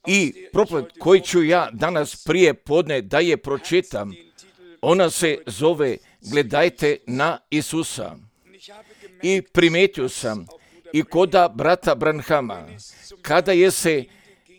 I propoved koji ću ja danas prije podne da je pročitam, ona se zove Gledajte na Isusa. I primijetio sam i koda brata Branhama, kada je se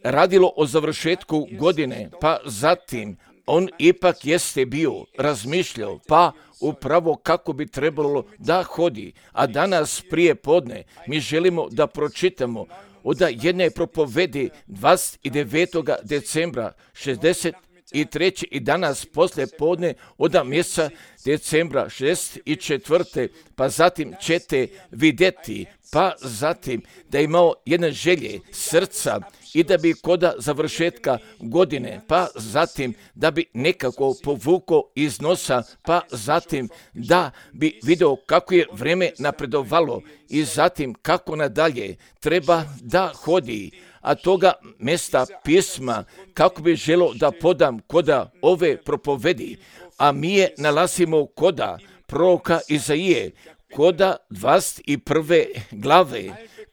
radilo o završetku godine, pa zatim on ipak jeste bio razmišljao, pa upravo kako bi trebalo da hodi. A danas prije podne mi želimo da pročitamo od jedne propovedi 29. decembra 63. i danas poslije podne od mjeseca decembra 64. pa zatim ćete vidjeti, pa zatim da je imao jedne želje srca i da bi koda završetka godine, pa zatim da bi nekako povukao iz nosa, pa zatim da bi video kako je vrijeme napredovalo i zatim kako nadalje treba da hodi. A toga mjesta pisma kako bi želio da podam koda ove propovedi, a mi je nalazimo koda proroka Izaije, koda 21. glave,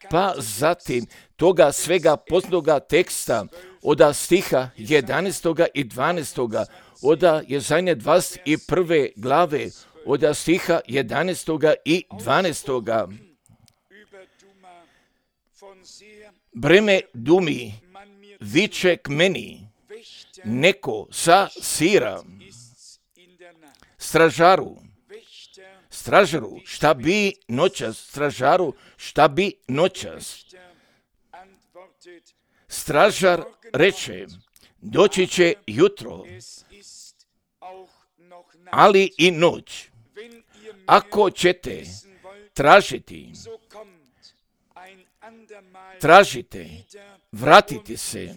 pa zatim toga svega poznatoga teksta od stiha 11. i 12. od Jesaje 21. glave, od stiha 11. i 12. Breme Dumi viče k meni, neko sa Sira, stražaru, šta bi noćas, stražaru, šta bi noćas. Stražar reče, doći će jutro, ali i noć. Ako ćete tražite, vratite se,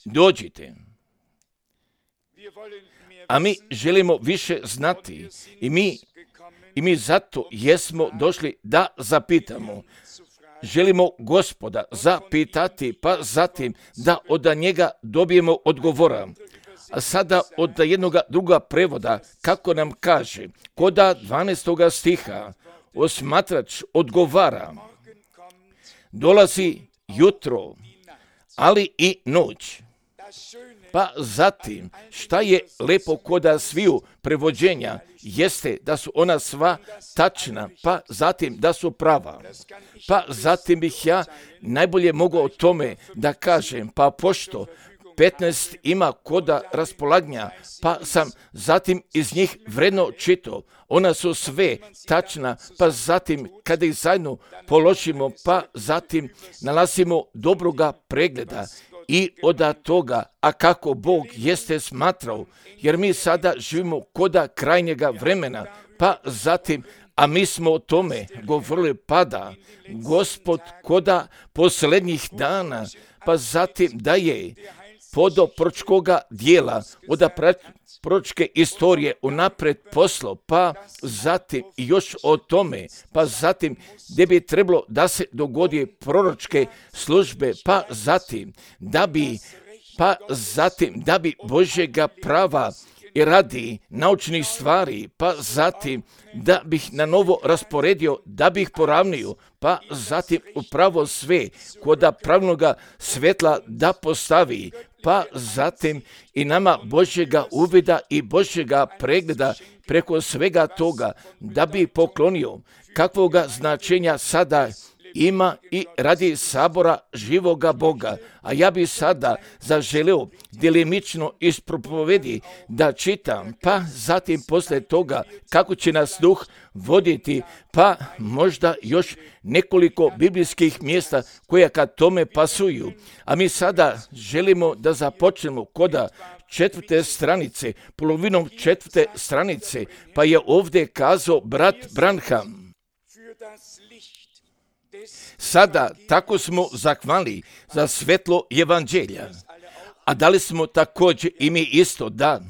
dođite. A mi želimo više znati i mi zato jesmo došli da zapitamo. Želimo Gospoda zapitati, pa zatim da od njega dobijemo odgovora. A sada od jednog druga prevoda, kako nam kaže, koda 12. stiha, osmatrač odgovara, dolazi jutro, ali i noć. Pa zatim, šta je lepo koda sviju prevođenja, jeste da su ona sva tačna, pa zatim da su prava. Pa zatim bih ja najbolje mogao o tome da kažem, pa pošto 15 ima koda raspolaganja, pa sam zatim iz njih vredno čitao. Ona su sve tačna, pa zatim kada ih zajedno položimo, pa zatim nalazimo dobroga pregleda i od toga, a kako Bog jeste smatrao, jer mi sada živimo koda krajnjega vremena, pa zatim, a mi smo o tome govorili pada, Gospod koda posljednjih dana, pa zatim da je podo proročkoga dijela, od proročke istorije unapred poslo, pa zatim još o tome, pa zatim gdje bi trebalo da se dogodi proročke službe, pa zatim da bi Božjega prava i radi naučnih stvari, pa zatim da bih na novo rasporedio, da bih poravnio, pa zatim upravo sve koda pravilnoga svetla da postavi, pa zatim i nama Božjega uvida i Božjega pregleda preko svega toga, da bi poklonio kakvoga značenja sada ima i radi sabora živoga Boga. A ja bi sada zaželio delimično iz propovedi da čitam, pa zatim poslije toga kako će nas duh voditi, pa možda još nekoliko biblijskih mjesta koja kad tome pasuju. A mi sada želimo da započnemo koda 4. stranice, polovinom 4. stranice, pa je ovdje kazao brat Branham. Sada tako smo zahvalni za svetlo evanđelja, a da li smo također i mi isto? Da.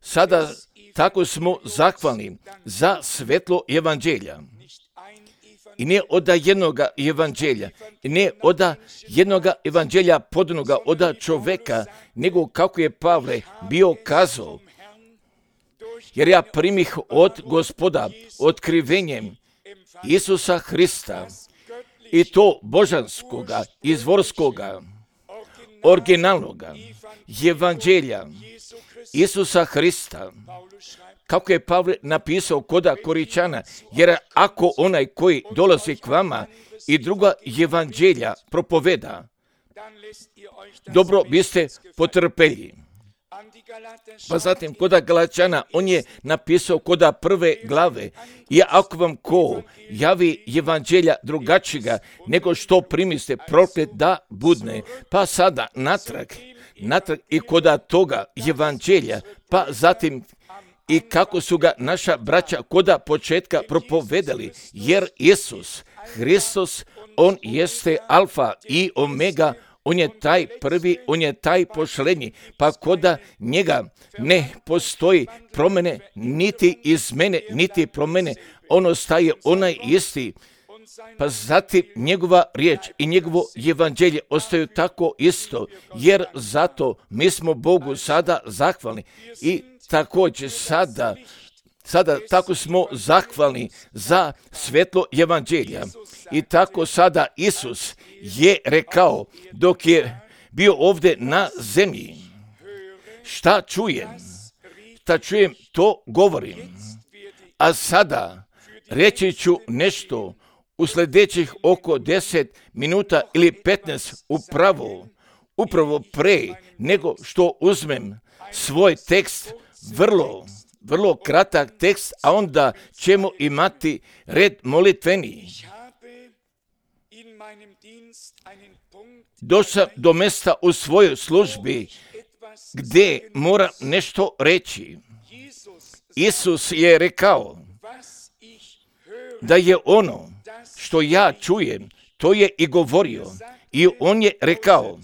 Sada tako smo zahvalni za svetlo evanđelja. I ne od jednog evanđelja, i ne od jednog evanđelja podanoga od čoveka, nego kako je Pavle bio kazao, jer ja primih od Gospoda otkrivenjem Isusa Hrista, i to božanskoga, izvorskoga, originalnoga evanđelja Isusa Hrista, kako je Pavle napisao koda Koričana, jer ako onaj koji dolazi k vama i druga evanđelja propoveda, dobro biste potrpeli. Pa zatim koda Galačana, on je napisao koda prve glave, i ako vam ko javi evanđelja drugačijega nego što primiste, proklet da budne. Pa sada natrag i koda toga evanđelja, pa zatim i kako su ga naša braća koda početka propovedali, jer Isus Hristos, on jeste alfa i omega, on je taj prvi, on je taj pošlenji, pa koda njega ne postoji promjene, niti izmene, niti promjene, on ostaje onaj isti. Pa zatim njegova riječ i njegovo evanđelje ostaju tako isto, jer zato mi smo Bogu sada zahvalni i također sada tako smo zahvalni za svetlo evanđelja. I tako sada Isus je rekao dok je bio ovdje na zemlji, šta čujem, to govorim. A sada reći ću nešto u sljedećih oko 10 minuta ili 15 upravo pre nego što uzmem svoj tekst, vrlo kratak tekst, a onda ćemo imati red molitveni. Došao do mjesta u svojoj službi gdje moram nešto reći. Isus je rekao da je ono što ja čujem, to je i govorio. I on je rekao,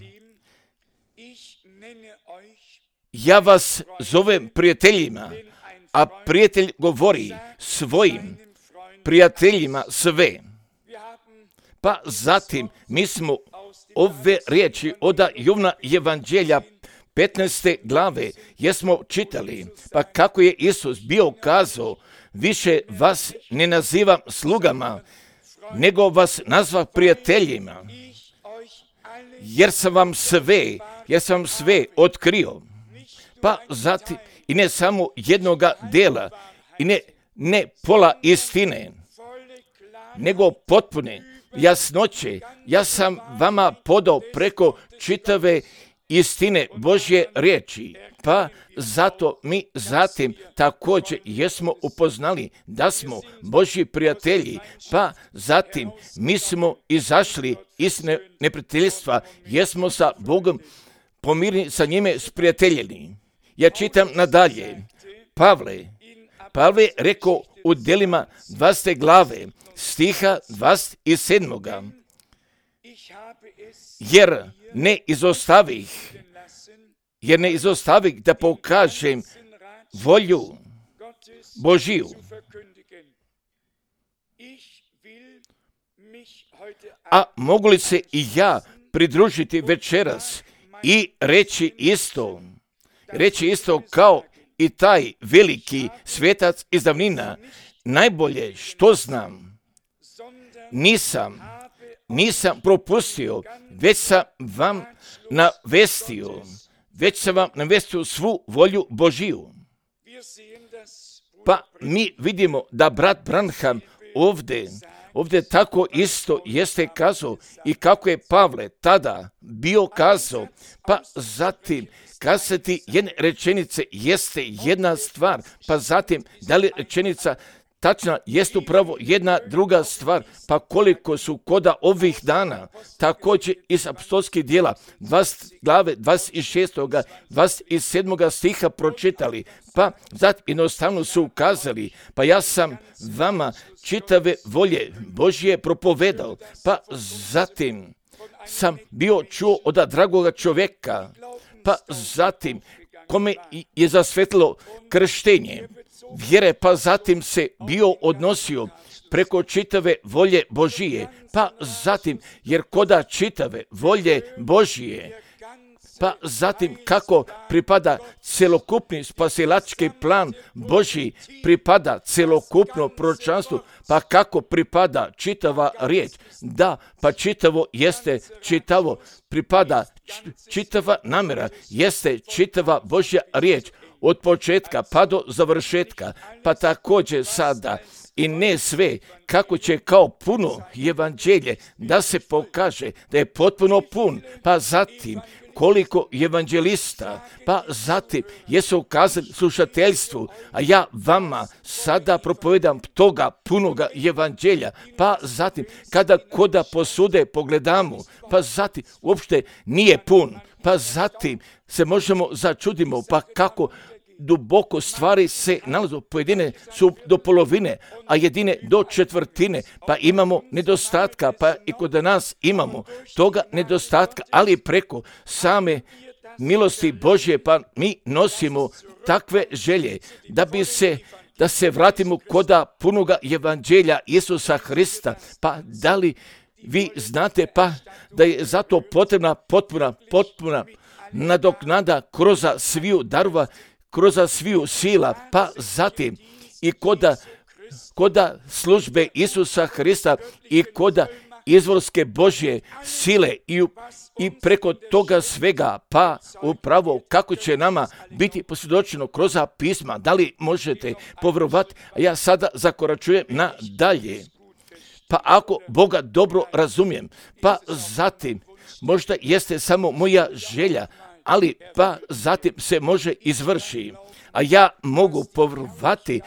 ja vas zovem prijateljima, a prijatelj govori svojim prijateljima sve. Pa zatim mi smo ove riječi od Jovana evanđelja 15. glave jesmo čitali, pa kako je Isus bio kazao, više vas ne nazivam slugama, nego vas nazva prijateljima, jer sam vam sve otkrio. Pa zatim, i ne samo jednoga dela, i ne pola istine, nego potpune jasnoće, ja sam vama podao preko čitave istine Božje riječi. Pa zato mi zatim također jesmo upoznali da smo Božji prijatelji, pa zatim mi smo izašli iz neprijateljstva, jesmo sa Bogom pomirni, sa njime sprijateljeni. Ja čitam nadalje. Pavle rekao u Djelima 20. glave, stiha 27. Jer ne izostavih da pokažem volju Božiju. A mogu li se i ja pridružiti večeras i reći isto kao i taj veliki svetac iz davnina, najbolje što znam, nisam propustio, već sam vam navestio svu volju Božiju. Pa mi vidimo da brat Branham ovdje tako isto jeste kazao i kako je Pavle tada bio kazao, pa zatim kazati jedne rečenice jeste jedna stvar, pa zatim da li rečenica tačna jest upravo jedna druga stvar, pa koliko su koda ovih dana također iz apostolskih djela 20 glave 26. 27. stiha pročitali, pa zatim jednostavno su ukazali, pa ja sam vama čitave volje Božje propovedao, pa zatim sam bio čuo od dragoga čovjeka, pa zatim kome je zasvetilo krštenje vjere, pa zatim se bio odnosio preko čitave volje Božije, pa zatim, jer koda čitave volje Božije, pa zatim kako pripada celokupni spasilački plan Božji, pripada celokupno proročanstvo, pa kako pripada čitava riječ, da, pa čitavo jeste čitavo, pripada čitava namjera, jeste čitava Božja riječ, od početka pa do završetka, pa također sada i ne sve, kako će kao puno evanđelje da se pokaže da je potpuno pun, pa zatim koliko evanđelista, pa zatim jesu ukazali slušateljstvu, a ja vama sada propovedam toga punoga evanđelja, pa zatim kada koda posude pogledamo, pa zatim uopšte nije pun, pa zatim se možemo začudimo, pa kako duboko stvari se nalazu, pojedine su do polovine, a jedine do četvrtine, pa imamo nedostatka, pa i kod nas imamo toga nedostatka, ali preko same milosti Božje, pa mi nosimo takve želje da se vratimo koda punoga evanđelja Isusa Hrista, pa da li vi znate pa da je zato potrebna potpuna nadoknada kroz sviju darova, kroz sviju sila, pa zatim i koda službe Isusa Hrista i koda izvorske Božje sile i preko toga svega, pa upravo kako će nama biti posvjedočeno kroz pisma. Da li možete povjerovati? Ja sada zakoračujem na dalje. Pa ako Boga dobro razumijem, pa zatim možda jeste samo moja želja, ali pa zatim se može izvrši, a ja mogu povjerovati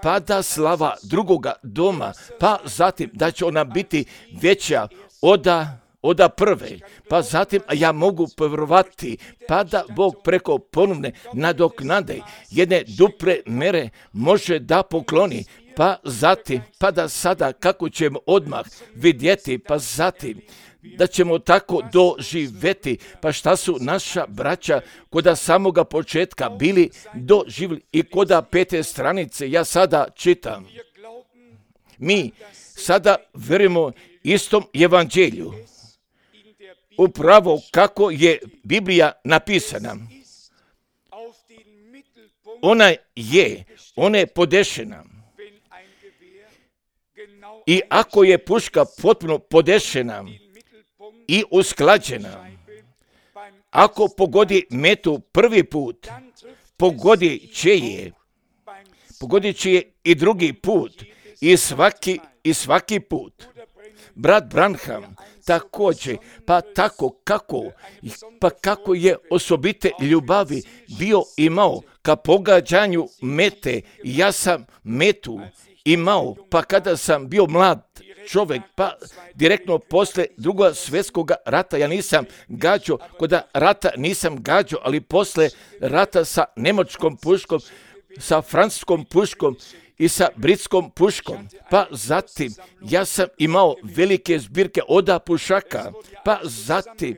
pada slava drugoga doma, pa zatim da će ona biti veća od prve, pa zatim a ja mogu povjerovati pa da Bog preko ponovne nadoknade jedne duple mere može da pokloni, pa zatim pa da sada kako ćemo odmah vidjeti, pa zatim da ćemo tako doživjeti, pa šta su naša braća koda samoga početka bili doživjeli i koda 5. stranice ja sada čitam. Mi sada vjerujemo istom evanđelju, upravo kako je Biblija napisana. Ona je podešena. I ako je puška potpuno podešena i usklađena, ako pogodi metu prvi put, pogodit će je i drugi put i svaki put. Brat Branham također, pa kako je osobite ljubavi bio imao ka pogađanju mete, ja sam metu imao, pa kada sam bio mlad čovjek, pa direktno posle Drugog svjetskog rata, ja nisam gađao, kod rata nisam gađao, ali posle rata sa njemačkom puškom, sa francuskom puškom i sa britskom puškom, pa zatim ja sam imao velike zbirke oda pušaka, pa zatim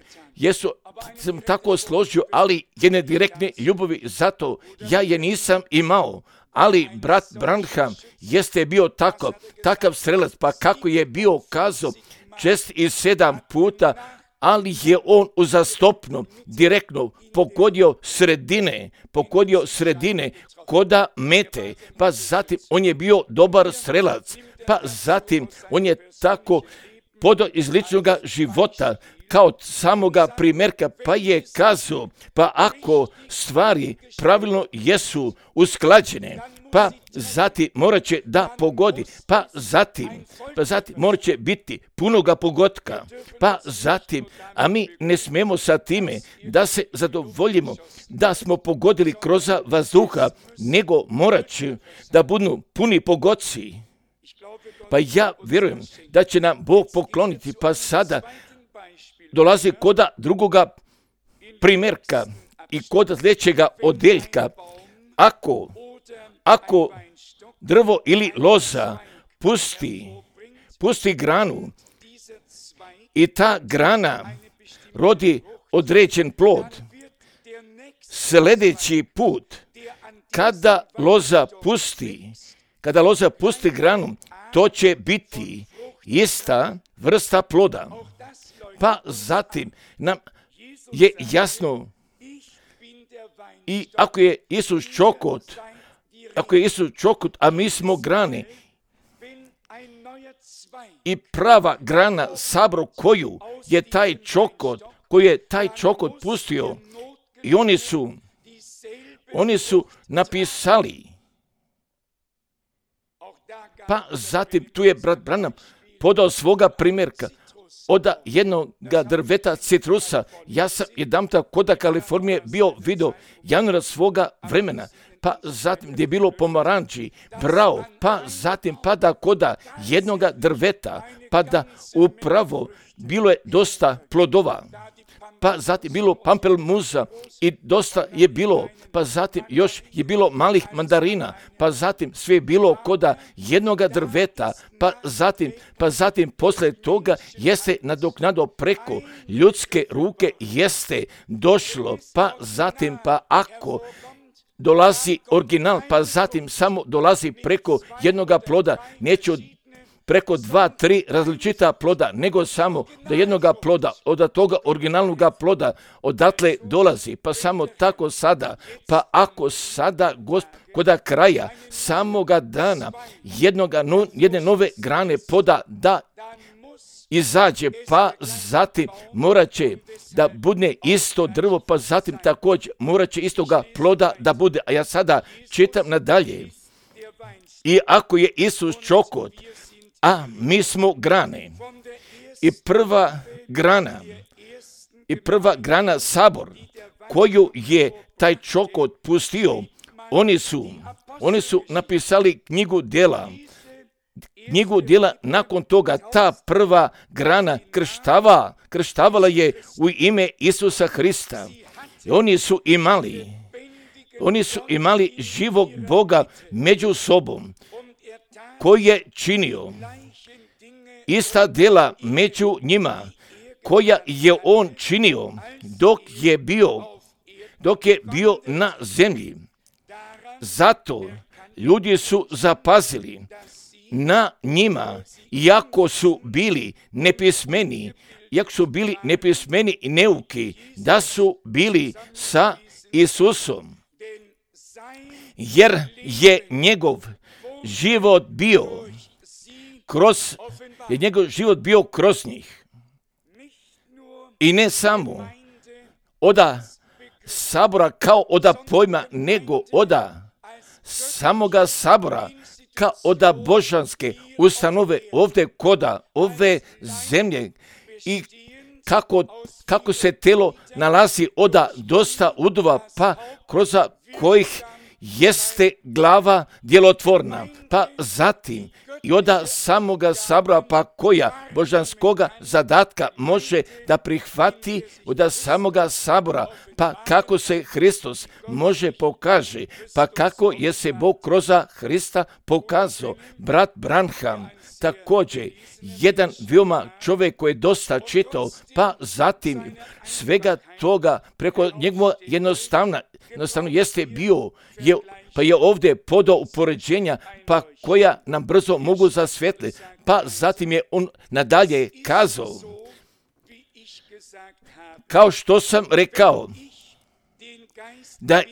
sam tako složio, ali jedne direktne ljubavi, zato ja je nisam imao. Ali brat Branham jeste bio takav strelac, pa kako je bio kazao 6 i 7 puta, ali je on uzastopno, direktno pogodio sredine koda mete, pa zatim on je bio dobar strelac, pa zatim on je tako podao iz ličnog života, kao samoga primjerka, pa je kazao, pa ako stvari pravilno jesu usklađene, pa zatim morat će da pogodi, pa zatim morat će biti punoga pogotka, pa zatim, a mi ne smemo sa time da se zadovoljimo, da smo pogodili kroz vazduha, nego morat će da budu puni pogodci. Pa ja vjerujem da će nam Bog pokloniti, pa sada dolazi koda drugoga primjerka i kod sljedećega odeljka. Ako drvo ili loza pusti granu i ta grana rodi određen plod, sljedeći put kada loza pusti granu, to će biti ista vrsta ploda. Pa zatim nam je jasno. I ako je Isus čokot, a mi smo grane, i prava grana sabor koju je taj čokot pustio, i oni su napisali. Pa zatim tu je brat Branham podao svoga primjerka od jednog drveta citrusa. Ja sam jedanputa kod Kalifornije bio vidio januara svoga vremena, pa zatim gdje je bilo pomaranči, brao, pa zatim pada kod jednog drveta, pa da upravo bilo je dosta plodova. Pa zatim bilo pampelmuza i dosta je bilo, pa zatim još je bilo malih mandarina, pa zatim sve je bilo koda jednoga drveta, pa zatim poslije toga jeste nadoknado preko ljudske ruke jeste došlo, pa zatim pa ako dolazi original, pa zatim samo dolazi preko jednoga ploda, neće preko 2-3 različita ploda, nego samo do jednoga ploda, od toga originalnog ploda, odatle dolazi, pa samo tako sada, pa ako sada koda kraja samoga dana jedne nove grane poda da izađe, pa zatim morat će da bude isto drvo, pa zatim također morat će istoga ploda da bude, a ja sada čitam nadalje. I ako je Isus čokot, a mi smo grane, i prva grana sabor koju je taj čokot pustio, oni su napisali knjigu djela. Nakon toga ta prva grana krštavala je u ime Isusa Hrista. I oni su imali živog Boga među sobom, koji je činio ista djela među njima, koja je on činio dok je bio na zemlji. Zato ljudi su zapazili na njima, iako su bili nepismeni i neuki, da su bili sa Isusom, jer je njegov život bio kroz njih. I ne samo oda sabora kao oda pojma, nego oda samoga sabora kao oda božanske ustanove ovdje koda ove zemlje, i kako se telo nalazi oda dosta udova, pa kroz kojih jeste glava djelotvorna, pa zatim i oda samoga sabora, pa koja božanskoga zadatka može da prihvati oda samoga sabora, pa kako se Hristos može pokaže, pa kako je se Bog kroz Hrista pokazao. Brat Branham također jedan veoma čovjek koji je dosta čitao, pa zatim svega toga preko njegova jednostavno jeste bio, pa je ovdje podao upoređenja, pa koja nam brzo mogu zasvijetliti. Pa zatim je on nadalje kazao, kao što sam rekao, da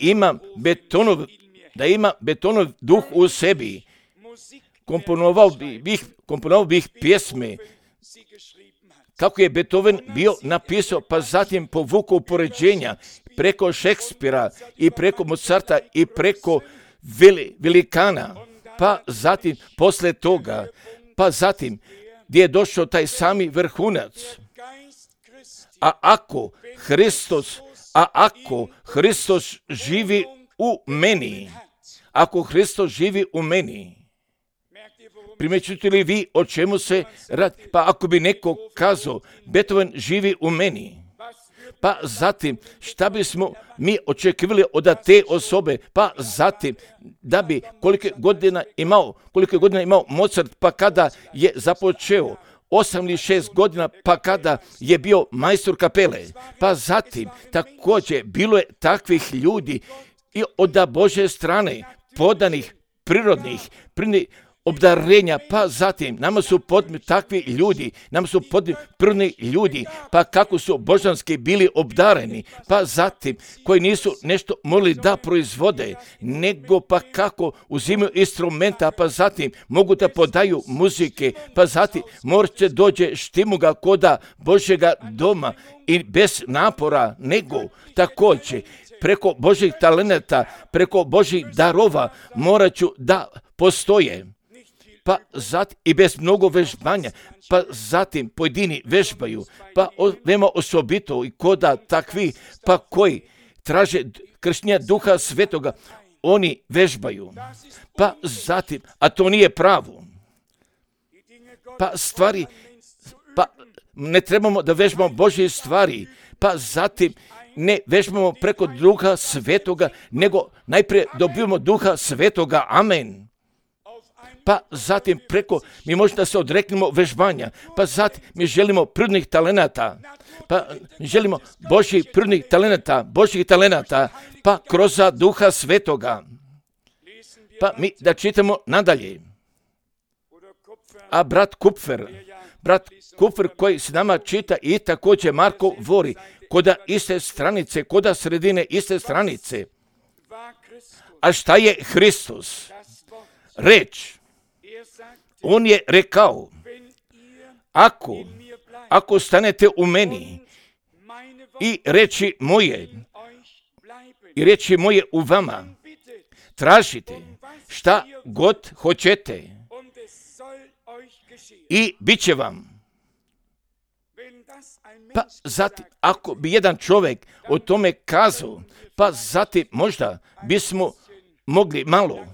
ima betonov duh u sebi, komponovao bih pjesme, kako je Beethoven bio napisao, pa zatim povukao upoređenja preko Šekspira i preko Mozarta i preko velikana, pa zatim posle toga, pa zatim gdje je došao taj sami vrhunac. A ako Hristos živi u meni, primjećujete li vi o čemu se radi? Pa ako bi neko kazao, Beethoven živi u meni, pa zatim šta bismo mi očekivali od te osobe, pa zatim da bi koliko godina imao Mozart, pa kada je započeo 8 ili 6 godina, pa kada je bio majstor kapele, pa zatim također bilo je takvih ljudi i od Božje strane, podanih, prirodnih, obdarenja, pa zatim nama su potrebni takvi ljudi, nam su potrebni prvni ljudi, pa kako su božanski bili obdareni, pa zatim koji nisu nešto mogli da proizvode, nego pa kako uzimaju instrumenta, pa zatim mogu da podaju muzike, pa zatim morće dođe štimuga koda Božjega doma i bez napora, nego također preko Božjih talenata, preko Božjih darova morat ću da postoje. Pa zatim i bez mnogo vežbanja, pa zatim pojedini vežbaju, pa veoma osobito i koda takvi, pa koji traže krštenja Duha Svetoga, oni vežbaju. Pa zatim, a to nije pravo. Pa stvari, pa ne trebamo da vežbamo Božje stvari, pa zatim ne vežbamo preko Duha Svetoga, nego najprije dobijemo Duha Svetoga, amen. Pa zatim preko, mi možemo da se odreknemo vežbanja, pa zatim mi želimo prirodnih talenata, pa želimo Božjih prirodnih talenata, pa kroz Duha Svetoga. Pa mi da čitamo nadalje. A brat Kupfer koji s nama čita i također Marko vori, koda iste stranice, koda sredine iste stranice. A šta je Hristos? Reč. On je rekao, ako stanete u meni i reči moje u vama, tražite šta god hoćete i bit će vam. Pa zatim, ako bi jedan čovjek o tome kazao, pa zatim možda bismo mogli malo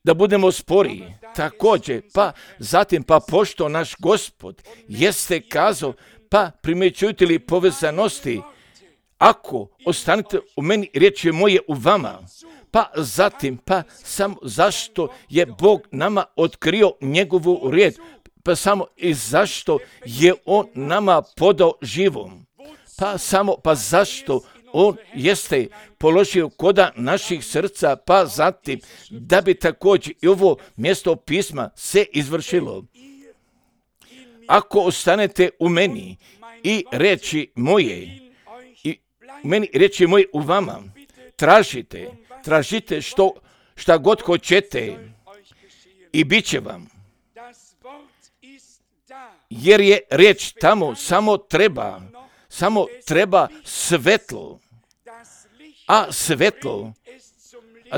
da budemo sporiji. Također, pa zatim, pa pošto naš Gospod jeste kazao, pa primjećujete li povezanosti, ako ostanete u meni, riječi moje u vama, pa zatim, pa samo zašto je Bog nama otkrio njegovu riječ, pa samo i zašto je on nama podao živom, pa zašto on jeste položio koda naših srca, pa zatim da bi također i ovo mjesto pisma se izvršilo. Ako ostanete u meni i reči moje, u vama, tražite šta god hoćete i bit će vam. Jer je riječ tamo, samo treba svetlo, a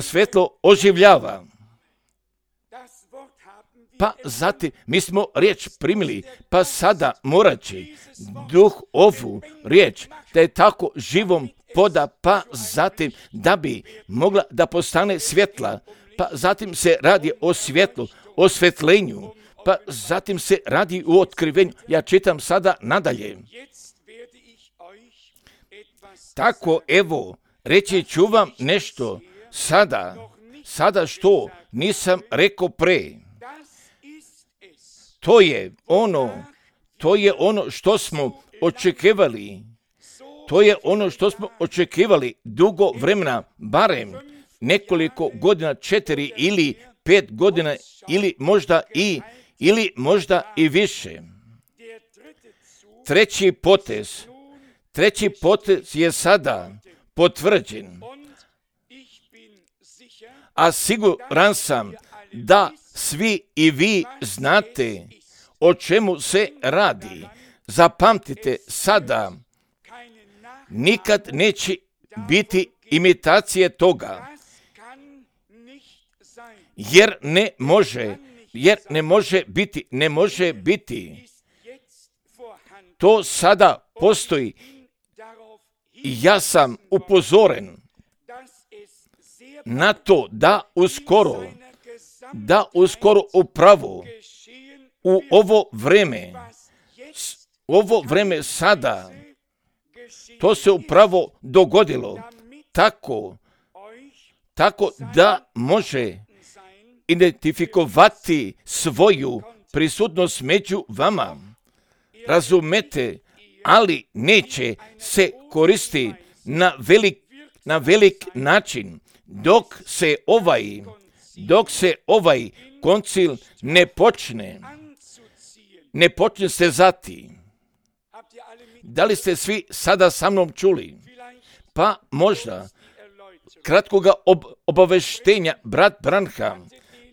svetlo oživljava. Pa zatim mi smo riječ primili, pa sada morat će Duh ovu riječ da je tako živom poda, pa zatim da bi mogla da postane svjetla, pa zatim se radi o svjetlu, o svetlenju, pa zatim se radi o otkrivenju. Ja čitam sada nadalje. Tako evo, reći ću vam nešto sada što nisam rekao pre. To je ono što smo očekivali. To je ono što smo očekivali dugo vremena, barem nekoliko godina, 4 ili 5 godina, ili možda i više. Treći potez je sada potvrđen, a siguran sam da svi i vi znate o čemu se radi. Zapamtite sada, nikad neće biti imitacije toga, jer ne može biti. To sada postoji i ja sam upozoren na to da uskoro upravo u ovo vreme sada to se upravo dogodilo tako da može identifikovati svoju prisutnost među vama. Razumete, ali neće se koristi na velik način dok se ovaj koncil ne počne se zati. Da li ste svi sada sa mnom čuli? Pa možda kratkoga obaveštenja brat Branham,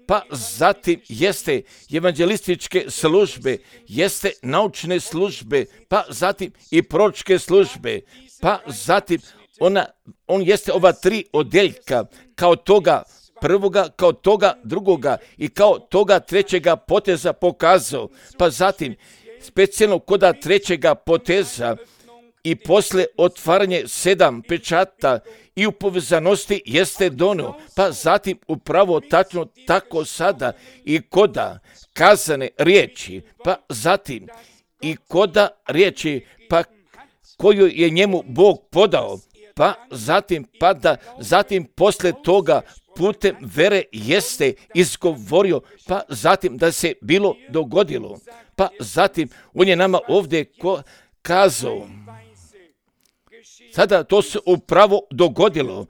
pa zatim jeste evanđelističke službe, jeste naučne službe, pa zatim i proročke službe, pa zatim on jeste ova 3 odjeljka, kao toga prvoga, kao toga drugoga i kao toga trećega poteza pokazao, pa zatim specijalno koda trećega poteza i posle otvaranje 7 pečata i u povezanosti jeste donio, pa zatim upravo tačno tako sada i koda kazane riječi, pa zatim i koda riječi, pa koju je njemu Bog podao, pa zatim posle toga putem vere jeste izgovorio, pa zatim da se bilo dogodilo, pa zatim on je nama ovdje kazao. Sada to se upravo dogodilo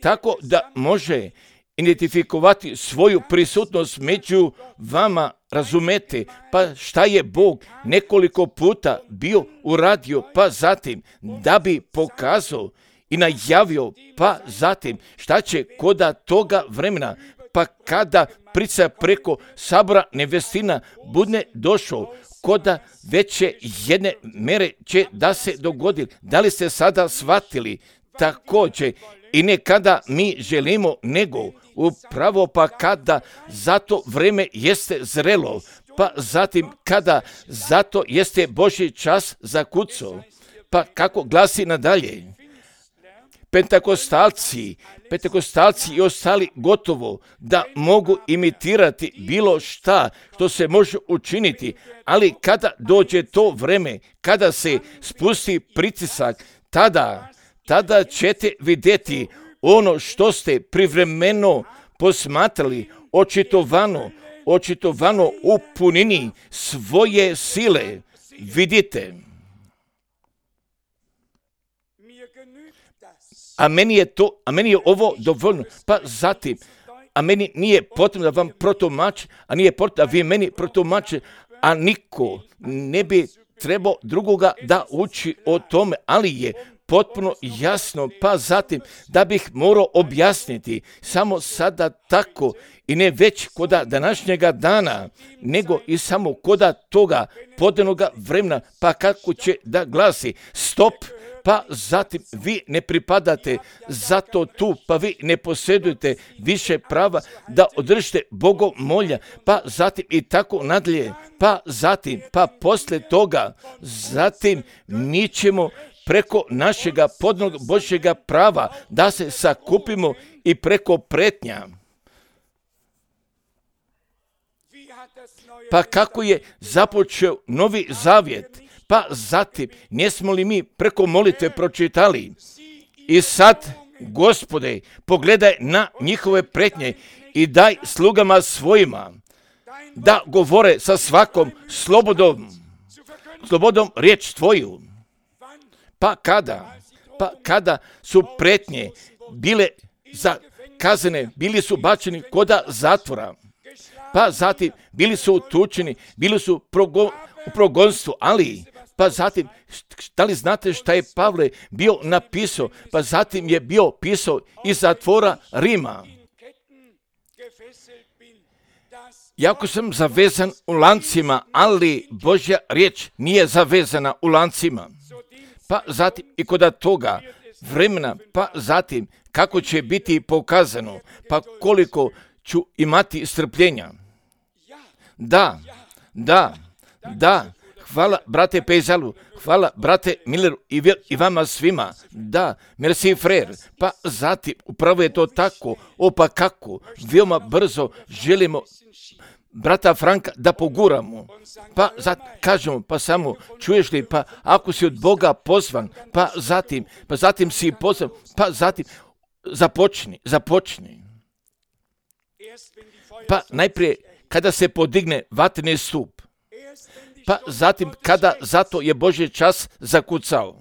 tako da može identifikovati svoju prisutnost među vama, razumete, pa šta je Bog nekoliko puta bio uradio, pa zatim da bi pokazao i najavio, pa zatim šta će koda toga vremena, pa kada prica preko sabora nevestina bude došao, koda veće jedne mere će da se dogodi. Da li ste sada shvatili? Također i ne kada mi želimo, nego upravo pa kada zato vreme jeste zrelo, pa zatim kada zato jeste Božji čas zakucao. Pa kako glasi nadalje? Pentekostalci i ostali gotovo da mogu imitirati bilo šta što se može učiniti, ali kada dođe to vreme, kada se spusti pritisak, tada ćete vidjeti ono što ste privremeno posmatrali, očitovano u punini svoje sile. Vidite. A meni je ovo dovoljno. Pa zatim, a meni nije potrebno da vam protumači, a nije potrebno da vi meni protumači, a niko ne bi trebao drugoga da uči o tome, ali je potpuno jasno, pa zatim da bih morao objasniti samo sada tako i ne već koda današnjega dana, nego i samo koda toga podanoga vremena, pa kako će da glasi stop, pa zatim vi ne pripadate zato tu, pa vi ne posjedujete više prava da održite bogomolja, pa zatim i tako nadalje, pa zatim, pa posle toga, zatim mi ćemo preko našega podnog Božjega prava da se sakupimo i preko pretnja. Pa kako je započeo Novi Zavjet? Pa zatim, nismo li mi preko molitve pročitali? I sad, Gospode, pogledaj na njihove pretnje i daj slugama svojima da govore sa svakom slobodom riječ Tvoju. Pa kada su pretnje bile zakazane, bili su bačeni koda zatvora, pa zatim bili su utučeni, bili su u progonstvu, ali pa zatim, da li znate šta je Pavle bio napisao? Pa zatim je bio pisao iz zatvora Rima. Jako sam zavezan u lancima, ali Božja riječ nije zavezana u lancima. Pa zatim i kod toga vremena, pa zatim kako će biti pokazano, pa koliko ću imati strpljenja. Da, hvala brate Pejzalu, hvala brate Milleru i vama svima. Da, merci frère. Pa zatim, upravo je to tako, pa kako, veoma brzo želimo brata Franka da poguramo. Pa zatim kažemo, pa samo čuješ li, pa ako si od Boga pozvan, pa zatim si pozvan, pa zatim započni. Pa najprije kada se podigne vatreni stup, pa zatim kada zato je Božji čas zakucao,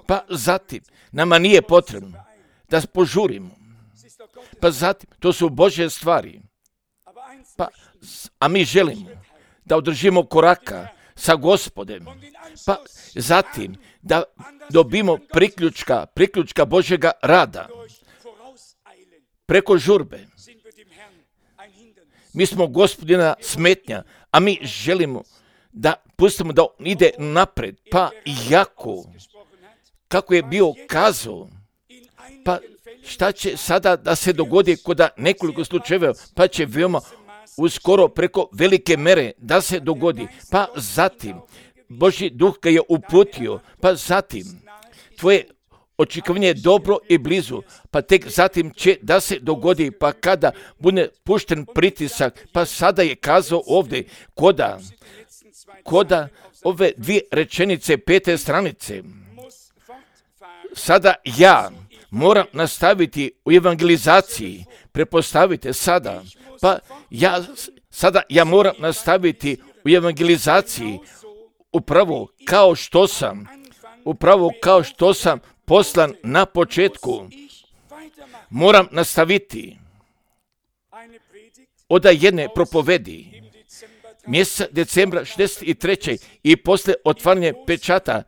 pa zatim nama nije potrebno da požurimo, pa zatim to su Božje stvari. a mi želimo da održimo koraka sa Gospodem, pa zatim da dobimo priključka Božjega rada preko žurbe. Mi smo Gospodina smetnja, a mi želimo da pustimo da on ide napred, pa kako je bio kazao, pa šta će sada da se dogodi kod nekoliko slučajeva, pa će veoma uskoro preko velike mere da se dogodi, pa zatim Božji duh ga je uputio, pa zatim tvoje očekivanje je dobro i blizu, pa tek zatim će da se dogodi, pa kada bude pušten pritisak, pa sada je kazao ovdje koda ove 2 rečenice 5. stranice. Sada ja moram nastaviti u evangelizaciji, prepostavite sada, pa ja moram nastaviti u evangelizaciji upravo kao što sam poslan na početku. Moram nastaviti od jedne propovedi mjeseca decembra 63. i posle otvaranja pečata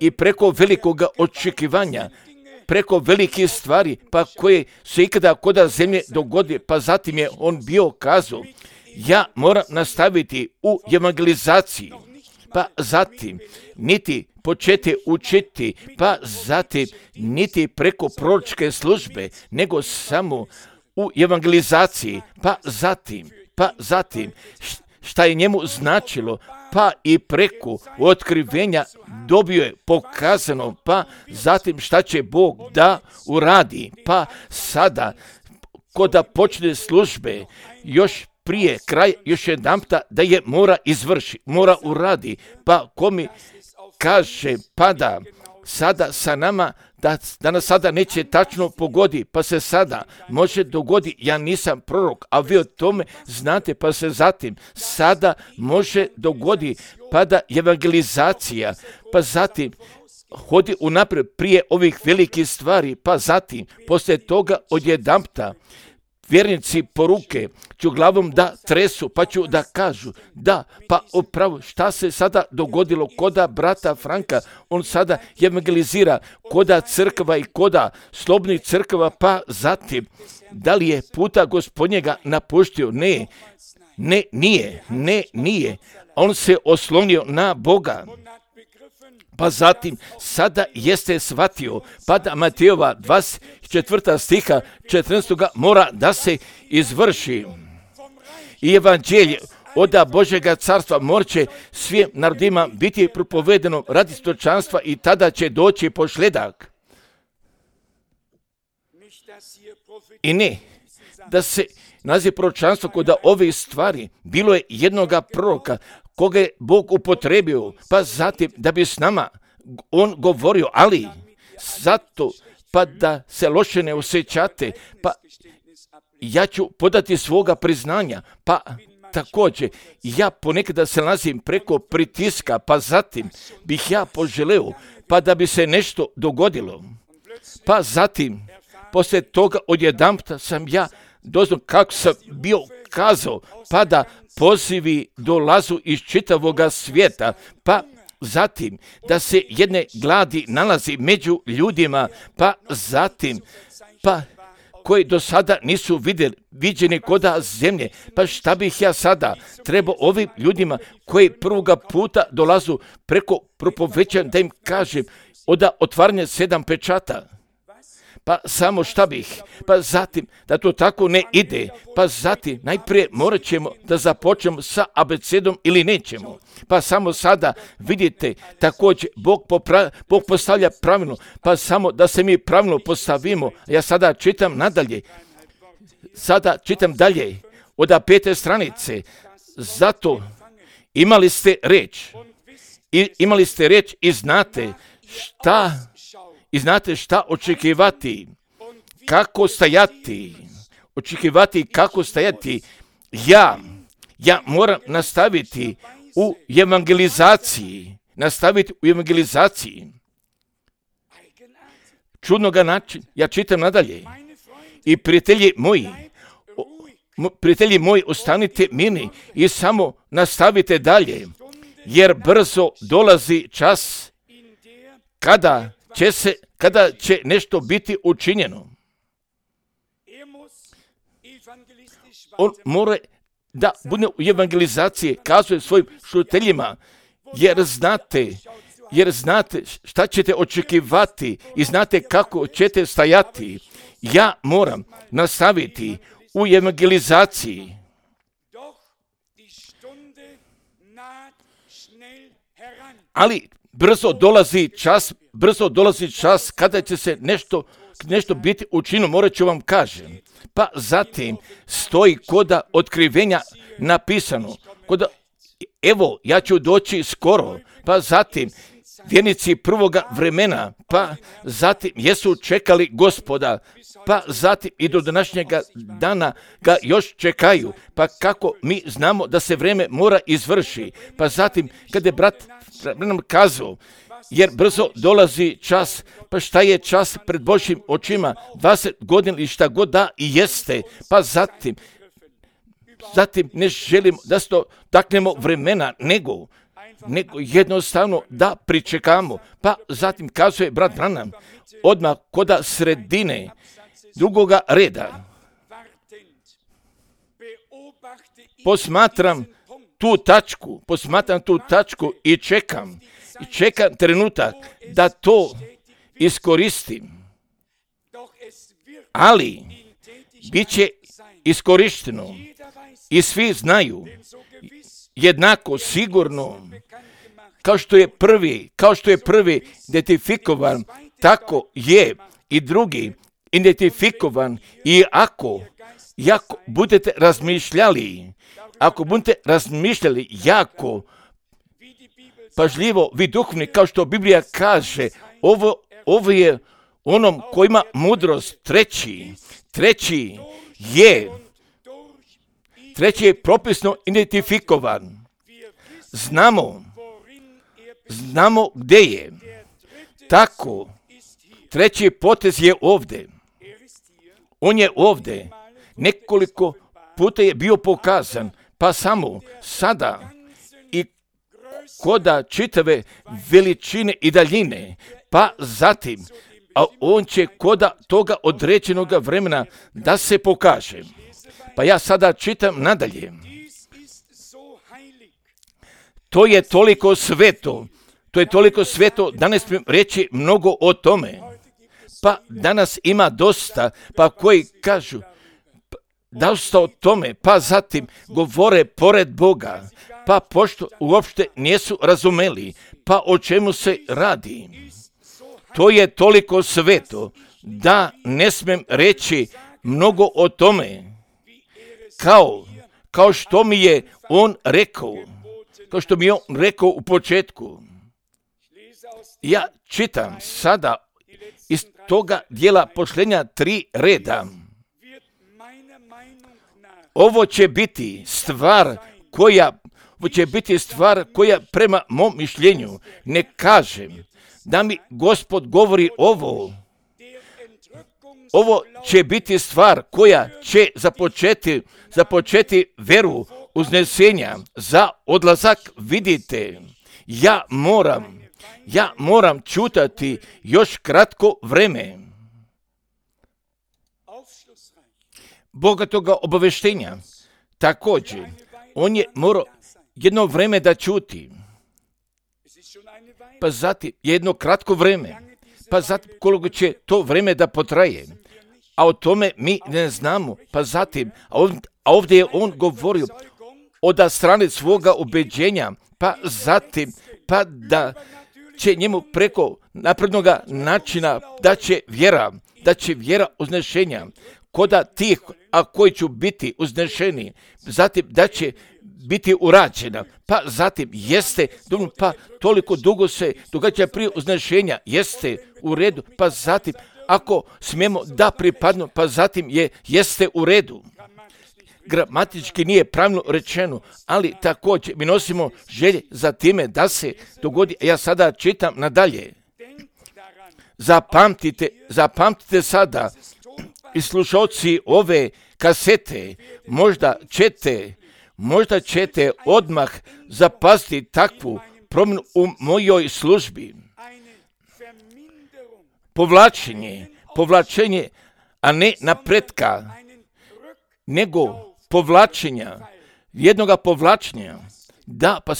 i preko velikog očekivanja, preko velikih stvari, pa koje se ikada koda zemlje dogodi, pa zatim je on bio kazao, ja moram nastaviti u evangelizaciji, pa zatim niti početi učiti, pa zatim niti preko proročke službe, nego samo u evangelizaciji, pa zatim šta je njemu značilo, pa i preko otkrivenja dobio je pokazano, pa zatim šta će Bog da uradi, pa sada koda počne službe, još prije kraj, još jedanputa da je mora uradi, pa ko mi kaže, pa da sada sa nama, da nas sada neće tačno pogodi, pa se sada može dogodi, ja nisam prorok, a vi o tome znate, pa se zatim sada može dogodi, pa da evangelizacija, pa zatim hodi unaprijed prije ovih velikih stvari, pa zatim poslije toga odjedanputa vjernici poruke ću glavom da tresu, pa ću da kažu, da, pa upravo šta se sada dogodilo koda brata Franka, on sada evangelizira koda crkva i koda slobodnih crkva, pa zatim, da li je puta Gospodnjega napuštio? Nije. On se oslonio na Boga. Pa zatim, sada jeste shvatio, pa da Matejova 24. stiha 14. mora da se izvrši. I evanđelje od Božjega carstva morat svim narodima biti propovedeno radi stočanstva i tada će doći pošljedak. I ne, da se naziv proročanstva kod ove stvari bilo je jednoga proroka koga je Bog upotrebio, pa zatim da bi s nama on govorio, ali zato pa da se loše ne osjećate, pa ja ću podati svoga priznanja, pa također ja ponekada se nalazim preko pritiska, pa zatim bih ja poželeo, pa da bi se nešto dogodilo, pa zatim poslije toga odjedanputa sam ja doznao kako sam bio kazao, pa da pozivi dolazu iz čitavoga svijeta, pa zatim da se jedne gladi nalazi među ljudima, pa zatim, pa koji do sada nisu viđeni koda zemlje, pa šta bih ja sada trebao ovim ljudima koji prvoga puta dolazu preko propovećanja da im kažem od otvaranja 7 pečata. Pa samo šta bih, pa zatim da to tako ne ide, pa zatim najprije morat ćemo da započnemo sa abecedom ili nećemo. Pa samo sada vidite također Bog postavlja pravilno, pa samo da se mi pravilno postavimo. Ja sada čitam nadalje, dalje od 5. stranice. Zato imali ste reč i znate šta očekivati, kako stajati, Ja moram nastaviti u evangelizaciji. Čudnoga način, ja čitam nadalje. I prijatelji moji, prijatelji moji, ostanite mirni i samo nastavite dalje, jer brzo dolazi čas kada će nešto biti učinjeno. On mora da bude u evangelizaciji, kazuje svojim slušateljima, jer znate šta ćete očekivati i znate kako ćete stajati. Ja moram nastaviti u evangelizaciji. Ali brzo dolazi čas kada će se nešto biti učinjeno, morat ću vam kažem. Pa zatim stoji koda otkrivenja napisano, evo ja ću doći skoro, pa zatim vjernici prvoga vremena, pa zatim jesu čekali Gospoda, pa zatim i do današnjega dana ga još čekaju, pa kako mi znamo da se vrijeme mora izvrši, pa zatim kada je brat nam kazao, jer brzo dolazi čas, pa šta je čas pred Božjim očima, 20 godina ili šta god da i jeste, pa zatim ne želim da se taknemo vremena, nego jednostavno da pričekamo. Pa zatim kazuje brat Branham, odmah koda sredine drugoga reda. Posmatram tu tačku i čekam trenutak da to iskoristim. Ali bit će iskorišteno i svi znaju jednako sigurno kao što je prvi identifikovan, tako je i drugi identifikovan. I ako budete razmišljali jako pažljivo, vi duhovni, kao što Biblija kaže, ovo je onom koji ima mudrost, treći je propisno identifikovan. Znamo gdje je. Tako, treći potez je ovdje. On je ovdje. Nekoliko puta je bio pokazan, pa samo sada i koda čitave veličine i daljine, pa zatim, a on će koda toga određenog vremena da se pokaže. Pa ja sada čitam nadalje. To je toliko sveto, danas smijem reći mnogo o tome. Pa danas ima dosta, pa koji kažu, dosta o tome, pa zatim govore pored Boga, pa pošto uopšte nisu razumeli, pa o čemu se radi. To je toliko sveto, da ne smijem reći mnogo o tome, kao što mi je on rekao u početku. Ja čitam sada iz toga dijela posljednja 3 reda. Ovo će biti stvar koja prema mom mišljenju, ne kažem da mi Gospod govori ovo. Ovo će biti stvar koja će započeti veru uznesenja za odlazak. Vidite, ja moram čutati još kratko vreme bogatoga obaveštenja. Također, on je morao jedno vreme da čuti, pa zatim jedno kratko vreme, pa zatim koliko će to vreme da potraje, a o tome mi ne znamo. Pa zatim, a ovdje je on govorio od strane svoga ubeđenja, pa zatim, pa da će njemu preko naprednog načina da će vjera uznešenja koda tih, a koji će biti uznešeni, zatim da će biti urađena, pa zatim jeste, pa toliko dugo se događa prije uznešenja, jeste u redu, pa zatim ako smijemo da pripadnu, pa zatim jeste u redu. Gramatički nije pravilno rečeno, ali također mi nosimo želje za time da se dogodi. Ja sada čitam nadalje. Zapamtite sada i slušalci ove kasete, možda ćete odmah zapaziti takvu promjenu u mojoj službi. Povlačenje, a ne napretka, nego jednoga povlačenja. Da, pa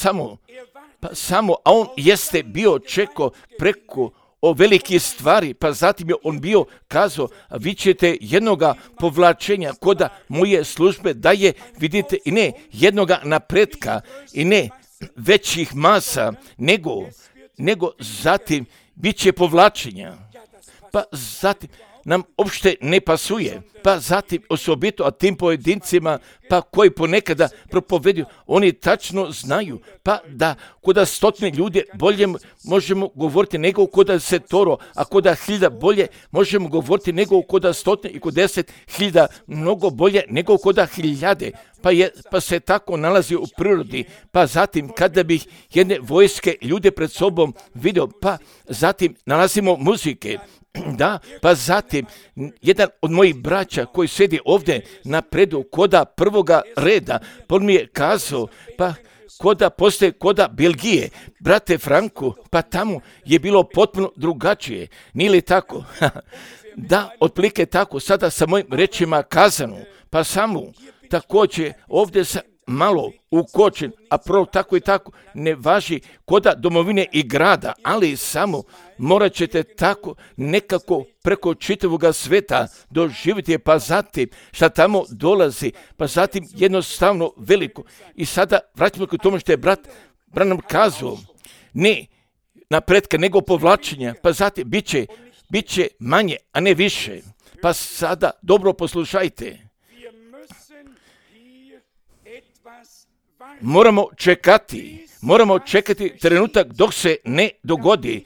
samo, a on jeste bio čekao preko o velike stvari, pa zatim je on bio kazao, a vi ćete jednoga povlačenja koda moje službe daje, vidite, i ne jednoga napretka, i ne većih masa, nego zatim bit će povlačenja. Pa zatim nam uopšte ne pasuje, pa zatim osobito, a tim pojedincima, pa koji ponekada propoveduju, oni tačno znaju, pa da koda 100 ljudi bolje možemo govoriti nego koda 100, a koda 1000 bolje možemo govoriti nego koda 100 i kod 10.000 mnogo bolje nego koda 1000. Pa se tako nalazi u prirodi, pa zatim kada bih jedne vojske ljude pred sobom vidio, pa zatim nalazimo muzike. Da, pa zatim jedan od mojih braća koji sjedi ovdje napredu koda prvoga reda, on mi je kazao, pa koda Belgije, brate Franku, pa tamo je bilo potpuno drugačije, nije li tako? Da, otprilike tako, sada sa mojim rečima kazano, pa samo također ovdje sa malo ukočen, a prvo tako i tako ne važi koda domovine i grada, ali samo morat ćete tako nekako preko čitavoga sveta doživjeti, pa zatim šta tamo dolazi, pa zatim jednostavno veliko. I sada vraćamo k tomu što je brat Branham kazao, ne napretka nego povlačenja, pa zatim bit će manje, a ne više. Pa sada dobro poslušajte. Moramo čekati trenutak dok se ne dogodi.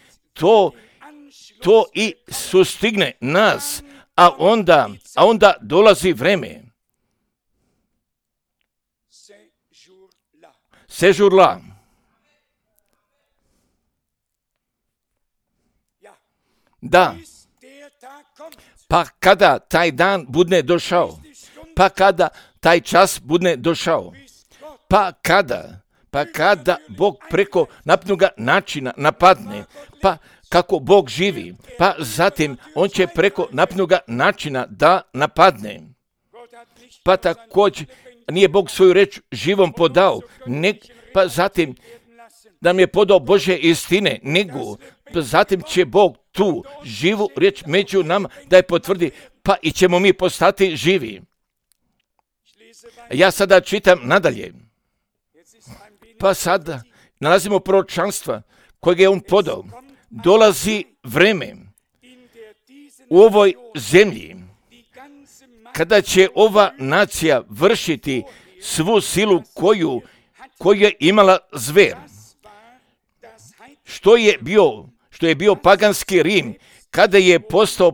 To i sustigne nas, a onda dolazi vreme. Sežurla. Da, pa kada taj dan bude došao, pa kada taj čas bude došao, pa kada Bog preko napnuga načina napadne, pa kako Bog živi, pa zatim on će preko napnuga načina da napadne. Pa također nije Bog svoju reč živom podao, pa zatim nam je podao Božje istine, nego zatim će Bog tu živu riječ među nama da je potvrdi, pa i ćemo mi postati živi. Ja sada čitam nadalje. Pa sada nalazimo proročanstva kojeg je on podao. Dolazi vreme u ovoj zemlji kada će ova nacija vršiti svu silu koju je imala zver. Što je bio paganski Rim, kada je postao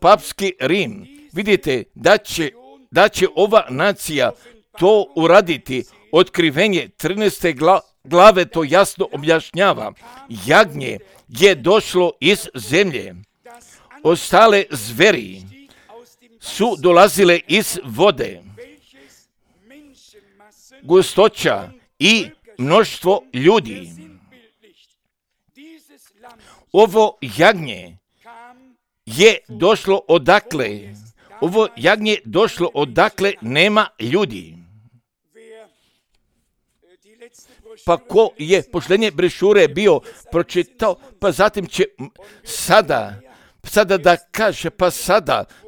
papski Rim. Vidite da će ova nacija to uraditi. Otkrivenje 13. glave to jasno objašnjava. Jagnje je došlo iz zemlje. Ostale zveri su dolazile iz vode. Gustoća i mnoštvo ljudi. Ovo jagnje je došlo odakle? Ovo jagnje došlo odakle nema ljudi. Pa ko je poštenje brešure bio pročitao, pa zatim će sada da kaže, pa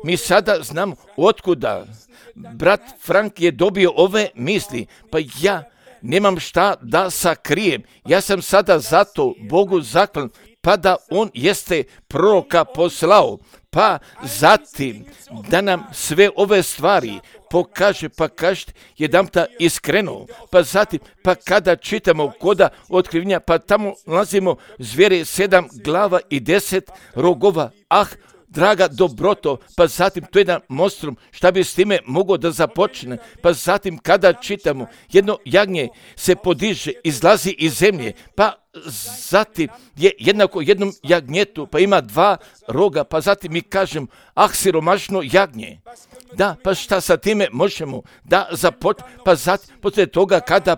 mi sada znamo otkuda. Brat Frank je dobio ove misli, pa ja nemam šta da sakrijem. Ja sam sada zato Bogu zahvalan, pa da on jeste proroka poslao, pa zatim da nam sve ove stvari pokaže, pa kažete jedanputa iskreno, pa zatim, pa kada čitamo koda otkrivenja, pa tamo nalazimo zvijere 7 glava i 10 rogova, draga dobroto, pa zatim to je jedan monstrum, šta bi s time mogao da započne, pa zatim kada čitamo jedno jagnje se podiže, izlazi iz zemlje, pa zatim je jednako jednom jagnjetu, pa ima 2 roga, pa zatim mi kažem, siromašno jagnje. Da, pa šta sa time možemo da pa zatim, poslije toga kada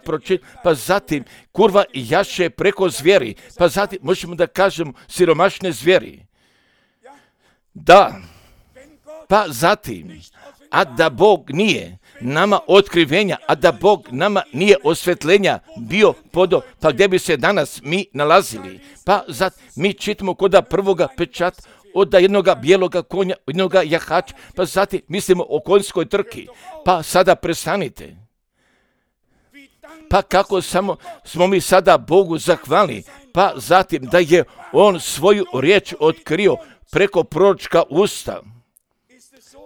pa zatim kurva i jaše preko zvijeri, pa zatim možemo da kažemo siromašne zvijeri. Da, pa zatim, a da Bog nije nama otkrivenja, a da Bog nama nije osvetljenja bio podo, pa gdje bi se danas mi nalazili? Pa zatim mi čitamo koda prvoga pečata od jednoga bijeloga konja, jednoga jahača, pa zatim mislimo o konjskoj trki. Pa sada prestanite. Pa kako samo smo mi sada Bogu zahvalni, pa zatim da je On svoju riječ otkrio preko proročka usta.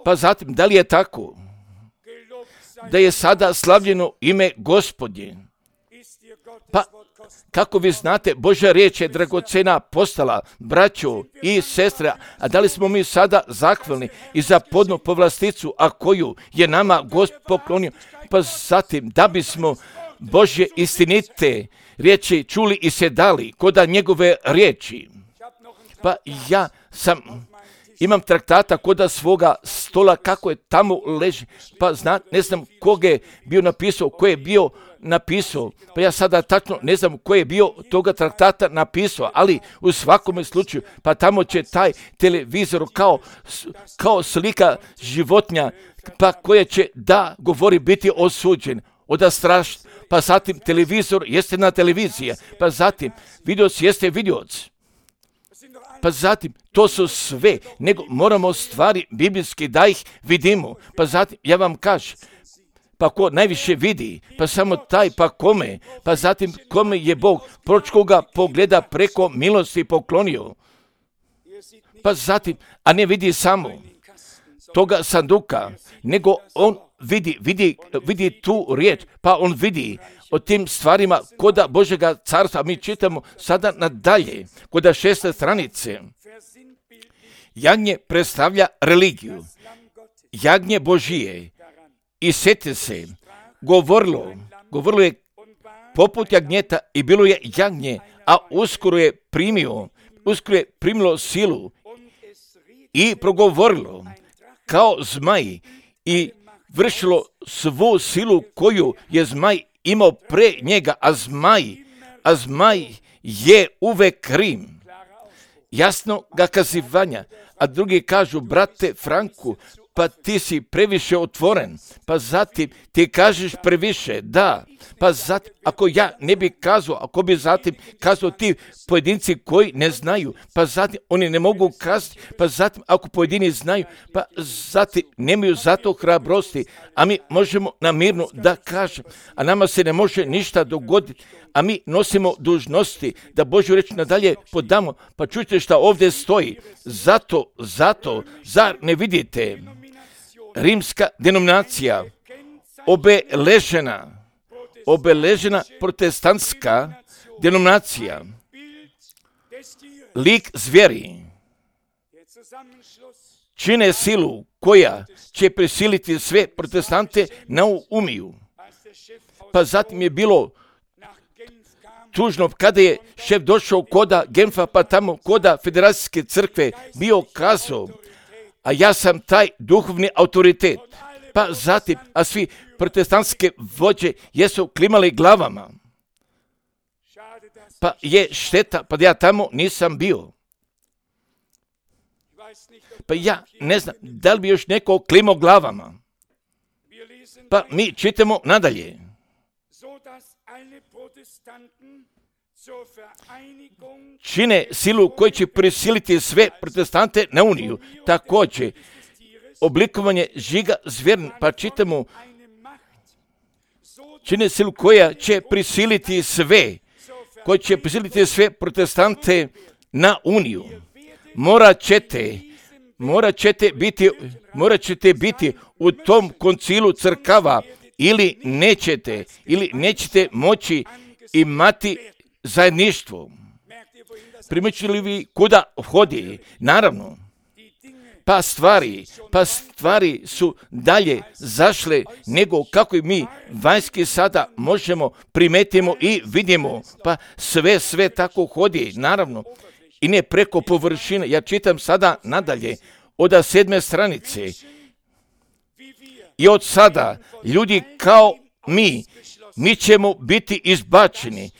Pa zatim, da li je tako? Da je sada slavljeno ime Gospodnje. Pa kako vi znate, Božja riječ je dragocena postala, braćo i sestre, a da li smo mi sada zahvalni i za podnu povlasticu, a koju je nama Gospod poklonio? Pa zatim, da bismo Božje istinite riječi čuli i se dali koda njegove riječi. Pa ja imam traktata koda svoga stola kako je tamo leži, pa ne znam koga je bio napisao, ko je bio napisao, pa ja sada tačno ne znam ko je bio toga traktata napisao, ali u svakome slučaju, pa tamo će taj televizor kao slika životinja, pa koja će da govori biti osuđen, strašno, pa zatim televizor jeste na televizija, pa zatim videoc jeste videoc. Pa zatim, to su sve, nego moramo stvari biblijski da ih vidimo. Pa zatim, ja vam kažem, pa ko najviše vidi, pa samo taj, pa kome, pa zatim kome je Bog pročkoga pogleda preko milosti poklonio. Pa zatim, a ne vidi samo toga sanduka, nego on vidi tu riječ, pa on vidi o tim stvarima koda Božega carstva. Mi čitamo sada nadalje, koda 6. stranice. Jagnje predstavlja religiju, jagnje Božije. I sjeti se, govorilo je poput jagnjeta i bilo je jagnje, a uskoro je primilo silu i progovorilo kao zmaj i vršilo svu silu koju je zmaj imao pre njega, a zmaj je uvek krim. Jasno ga kazivanja, a drugi kažu, brate Franku, pa ti si previše otvoren, pa zatim ti kažeš previše, da, pa zatim, ako ja ne bi kazao, ako bi zatim kazao ti pojedinci koji ne znaju, pa zatim oni ne mogu kazati, pa zatim ako pojedini znaju, pa zatim nemaju zato hrabrosti, a mi možemo namirno da kažem, a nama se ne može ništa dogoditi, a mi nosimo dužnosti da Božju reč nadalje podamo, pa čujte šta ovdje stoji, zato, zar ne vidite? Rimska denominacija, obeležena protestantska denominacija, lik zvijeri, čine silu koja će prisiliti sve protestante na umiju. Pa zatim je bilo tužno kada je šef došao koda Genfa, pa tamo koda Federacijske crkve bio kazao, a ja sam taj duhovni autoritet. Pa zatim, a svi protestantske vođe jesu klimali glavama. Pa je šteta, pa ja tamo nisam bio. Pa ja ne znam, da li bi još neko klimao glavama. Pa mi čitamo nadalje. Čine silu koji će prisiliti sve protestante na uniju. Također, oblikovanje žiga zvjerin, pa čitamo, čine silu koja će prisiliti sve protestante na uniju. Morat ćete biti u tom koncilu crkava ili nećete moći imati zajedništvo. Primjećili vi kuda vhodi? Naravno, pa stvari su dalje zašle nego kako i mi vanjski sada možemo primetimo i vidimo, pa sve tako hodi, naravno, i ne preko površine. Ja čitam sada nadalje od 7. stranice. I od sada ljudi kao mi ćemo biti izbačeni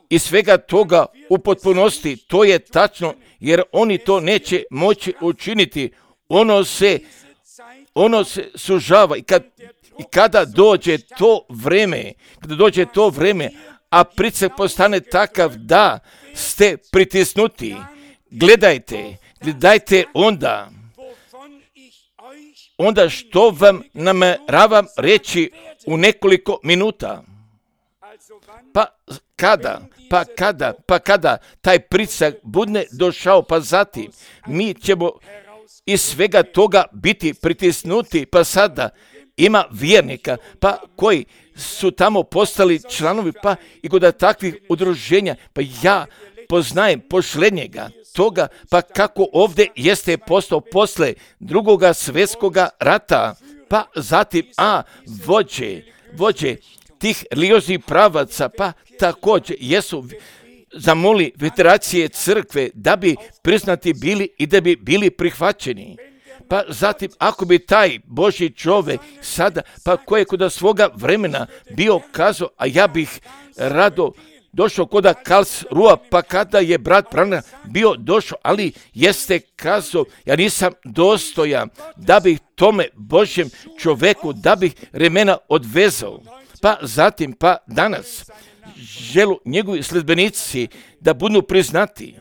iz svega toga u potpunosti. To je tačno, jer oni to neće moći učiniti. Ono se sužava i kada dođe to vrijeme, a pritisak postane takav da ste pritisnuti, gledajte onda što vam nameravam reći u nekoliko minuta. Pa kada taj pritisak bude došao, pa zatim mi ćemo iz svega toga biti pritisnuti, pa sada ima vjernika, pa koji su tamo postali članovi, pa i kod takvih udruženja, pa ja poznajem posljednjega toga, pa kako ovdje jeste postao posle drugoga svjetskoga rata, pa zatim, vođe tih religioznih pravaca, pa također jesu zamoli federacije crkve da bi priznati bili i da bi bili prihvaćeni. Pa zatim, ako bi taj Božji čovjek sada, pa koji je kod svoga vremena bio kazao, a ja bih rado došao kod Karlsruhe, pa kada je brat Branham bio došao, ali jeste kazao, ja nisam dostojan da bih tome Božjem čovjeku, da bih remena odvezao. Pa zatim, pa danas želu njegovi sledbenici da budu priznati.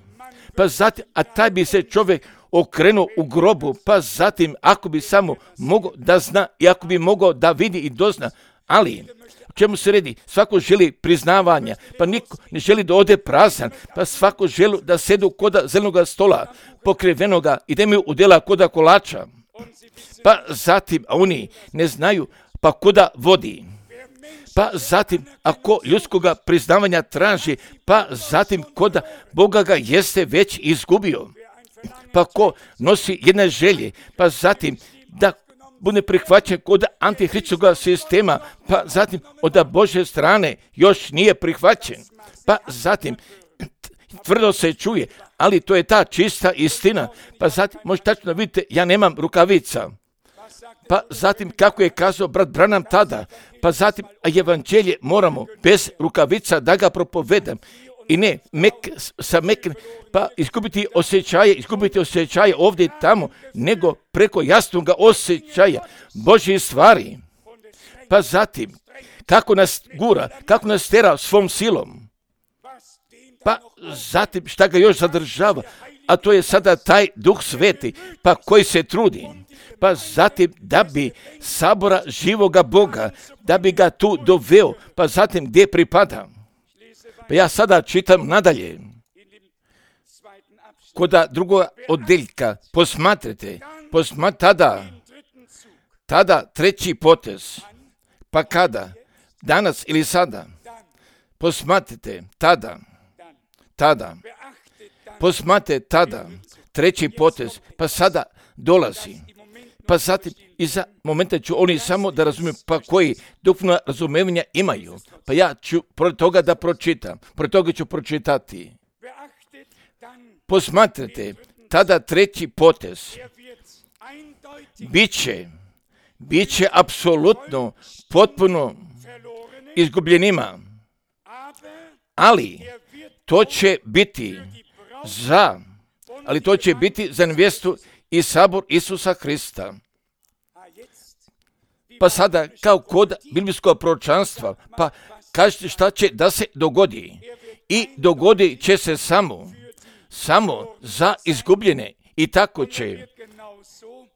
Pa zatim, a taj bi se čovjek okrenuo u grobu, pa zatim, ako bi samo mogao da zna i ako bi mogao da vidi i dozna, ali o čemu se radi? Svako želi priznavanja, pa niko ne želi da ode prazan, pa svako želi da sedu koda zelenog stola, pokrivenoga i da imaju udjela koda kolača. Pa zatim, a oni ne znaju, pa koda vodi. Pa zatim, ako ljudskoga priznavanja traži, pa zatim koda Boga ga jeste već izgubio. Pa ko nosi jedne želje, pa zatim da bude prihvaćen kod antihristoga sistema, pa zatim od Božje strane još nije prihvaćen. Pa zatim tvrdo se čuje, ali to je ta čista istina. Pa zatim možete tačno vidite, ja nemam rukavica. Pa zatim kako je kazao brat Branham tada, pa zatim evanđelje moramo bez rukavica da ga propovedam. I ne pa izgubiti osjećaje ovdje i tamo, nego preko jasnoga osjećaja Božje stvari. Pa zatim, kako nas gura, kako nas tera svom silom. Pa zatim, šta ga još zadržava, a to je sada taj Duh Sveti, pa koji se trudi. Pa zatim, da bi sabora živoga Boga, da bi ga tu doveo, pa zatim gdje pripada. Pa ja sada čitam nadalje. Kod drugog odjeljka posmatrajte, tada treći potez. Pa kada? Danas ili sada? Posmatrajte, tada. Posmatrajte tada, treći potez, pa sada dolazi. Pa zatim, iza momenta ću oni samo da razumiju, pa koji duhovno razumevanja imaju. Pa ja ću pored toga da pročitam, pored toga ću pročitati. Posmatrajte, tada treći potez. Biće apsolutno, potpuno izgubljenima. Ali to će biti za nevjestu i sabor Isusa Hrista. Pa sada, kao kod biblijskog proročanstva, pa kažete šta će da se dogodi. I dogodit će se samo za izgubljene. I tako će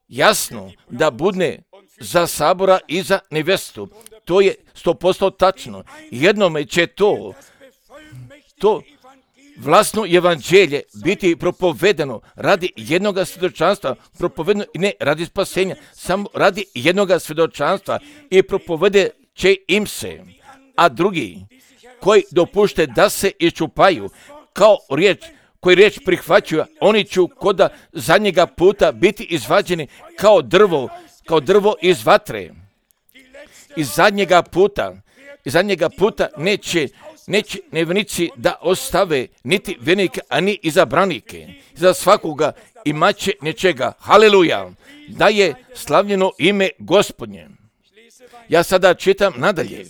jasno da bude za sabora i za nevjestu. To je 100% tačno. Jednome će to vlastno evanđelje biti propovedeno radi jednoga svjedočanstva, propovedeno i ne radi spasenja, samo radi jednoga svjedočanstva i propovede će im se. A drugi koji dopušte da se iščupaju kao riječ koji riječ prihvaćaju, oni će koda zadnjega puta biti izvađeni kao drvo iz vatre. Iz zadnjega puta neće nevjernici da ostave niti vjernike, ani izabranike. Za svakoga imaće nečega. Haleluja! Da je slavljeno ime Gospodnje. Ja sada čitam nadalje.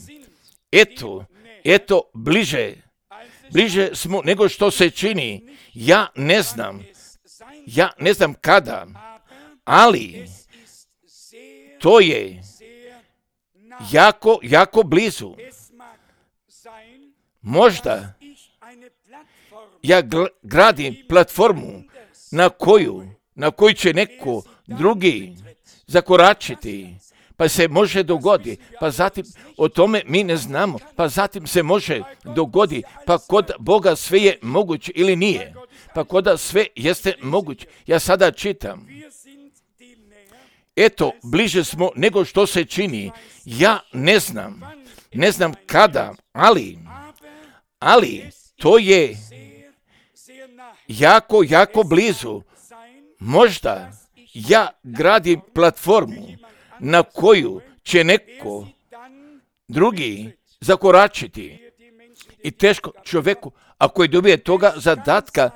Eto, bliže smo nego što se čini. Ja ne znam kada, ali to je jako blizu. Možda ja gradim platformu na koju će neko drugi zakoračiti, pa se može dogoditi, pa zatim o tome mi ne znamo, pa zatim se može dogoditi, pa kod Boga sve je moguće ili nije, pa kod sve jeste moguće. Ja sada čitam. Eto, bliže smo nego što se čini. Ja ne znam kada, ali to je jako blizu. Možda ja gradim platformu na koju će neko drugi zakoračiti. I teško čovjeku, ako je dobije toga zadatka,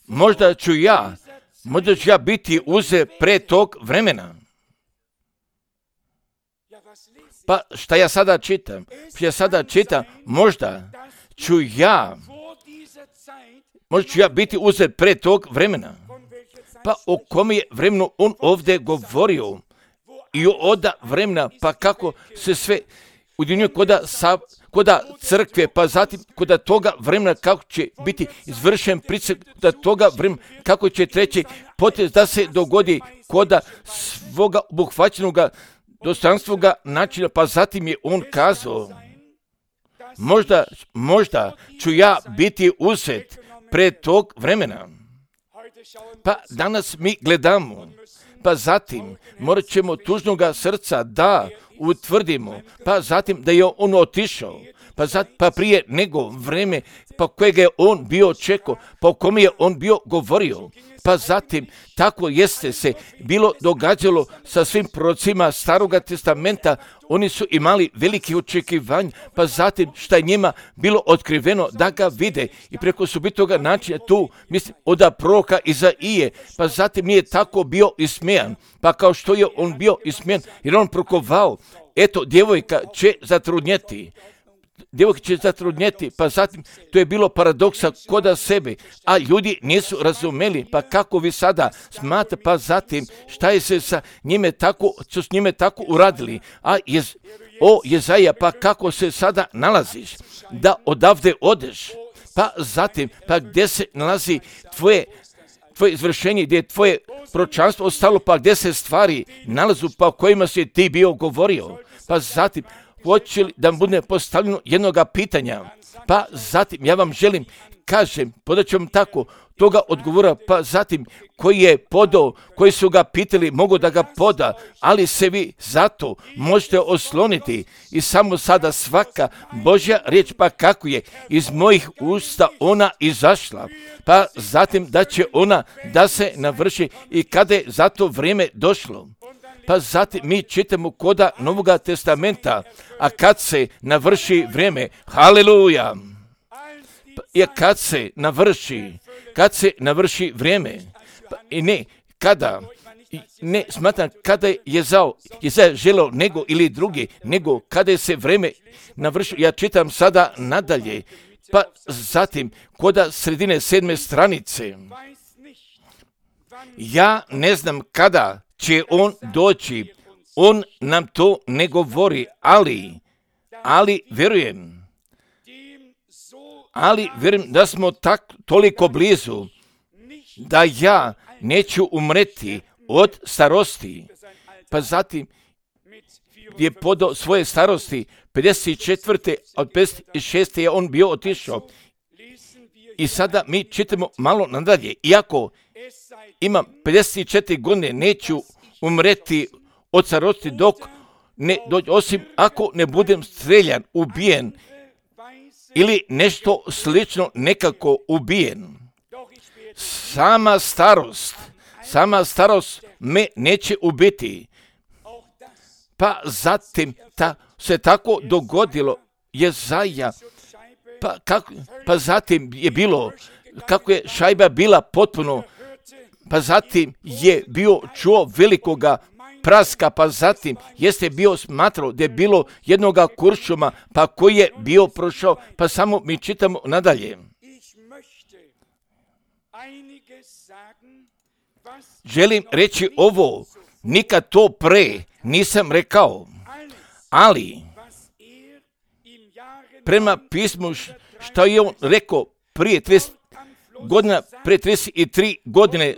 možda ću ja biti uzet pre tog vremena. Pa šta ja sada čitam? Možda ću ja biti uzet pre tog vremena. Pa o kom je vremenu on ovdje govorio i oda vremena, pa kako se sve udjenjuje koda crkve, pa zatim koda toga vremena kako će biti izvršen pricak, koda toga vremena kako će treći potez da se dogodi koda svoga obuhvaćenoga dostojanstvoga načina, pa zatim je on kazao, možda ću ja biti uzet pred tog vremena. Pa danas mi gledamo, pa zatim morat ćemo tužnoga srca da utvrdimo, pa zatim da je on otišao, pa prije nego vreme, pa kojega je on bio čekao, pa o kome je on bio govorio, pa zatim tako jeste se bilo događalo sa svim prorocima Staroga testamenta. Oni su imali velike očekivanja, pa zatim šta je njima bilo otkriveno da ga vide i preko subitoga načina tu, mislim, od proroka Izaije, pa zatim nije tako bio ismijan, pa kao što je on bio ismijan, jer on prokovao, eto, djevojka će zatrudnjeti, pa zatim to je bilo paradoksa koda sebe, a ljudi nisu razumeli, pa kako vi sada smatrate, pa zatim šta je se sa njime tako, su s njime tako uradili, Jezaja, pa kako se sada nalaziš, da odavde odeš, pa zatim, pa gdje se nalazi tvoje izvršenje, gdje je tvoje proročanstvo ostalo, pa gdje se stvari nalazu, pa o kojima si ti bio govorio, pa zatim, hoće li da bude postavljeno jednoga pitanja, pa zatim ja vam želim, kažem, podat ću vam tako toga odgovora, pa zatim koji je podao, koji su ga pitali, mogu da ga poda, ali se vi zato možete osloniti i samo sada svaka Božja riječ, pa kako je iz mojih usta ona izašla, pa zatim da će ona da se navrši i kada je za to vrijeme došlo. Pa zatim mi čitamo koda Novoga testamenta, a kad se navrši vrijeme, haleluja, i kad se navrši vrijeme, i ne kada, ne smatram kada je Jezaja želeo nego ili drugi, nego kada je se vrijeme navršilo. Ja čitam sada nadalje, pa zatim koda sredine 7. stranice, ja ne znam kada će on doći, on nam to ne govori, ali vjerujem da smo toliko blizu, da ja neću umreti od starosti. Pa zatim je podao svoje starosti, 54. od 56. je on bio otišao. I sada mi čitamo malo nadalje, iako imam 54 godine, neću umreti od starosti dok ne dođe, osim ako ne budem streljan, ubijen ili nešto slično nekako ubijen. Sama starost me neće ubiti. Pa zatim se tako dogodilo Jezaja, pa zatim je bilo, kako je šajba bila potpuno, pa zatim je čuo velikoga praska, pa zatim jeste bio smatrao da je bilo jednoga kuršuma, pa koji je bio prošao, pa samo mi čitamo nadalje. Želim reći ovo, nikad to pre nisam rekao, ali prema pismu što je on rekao prije 33 godine,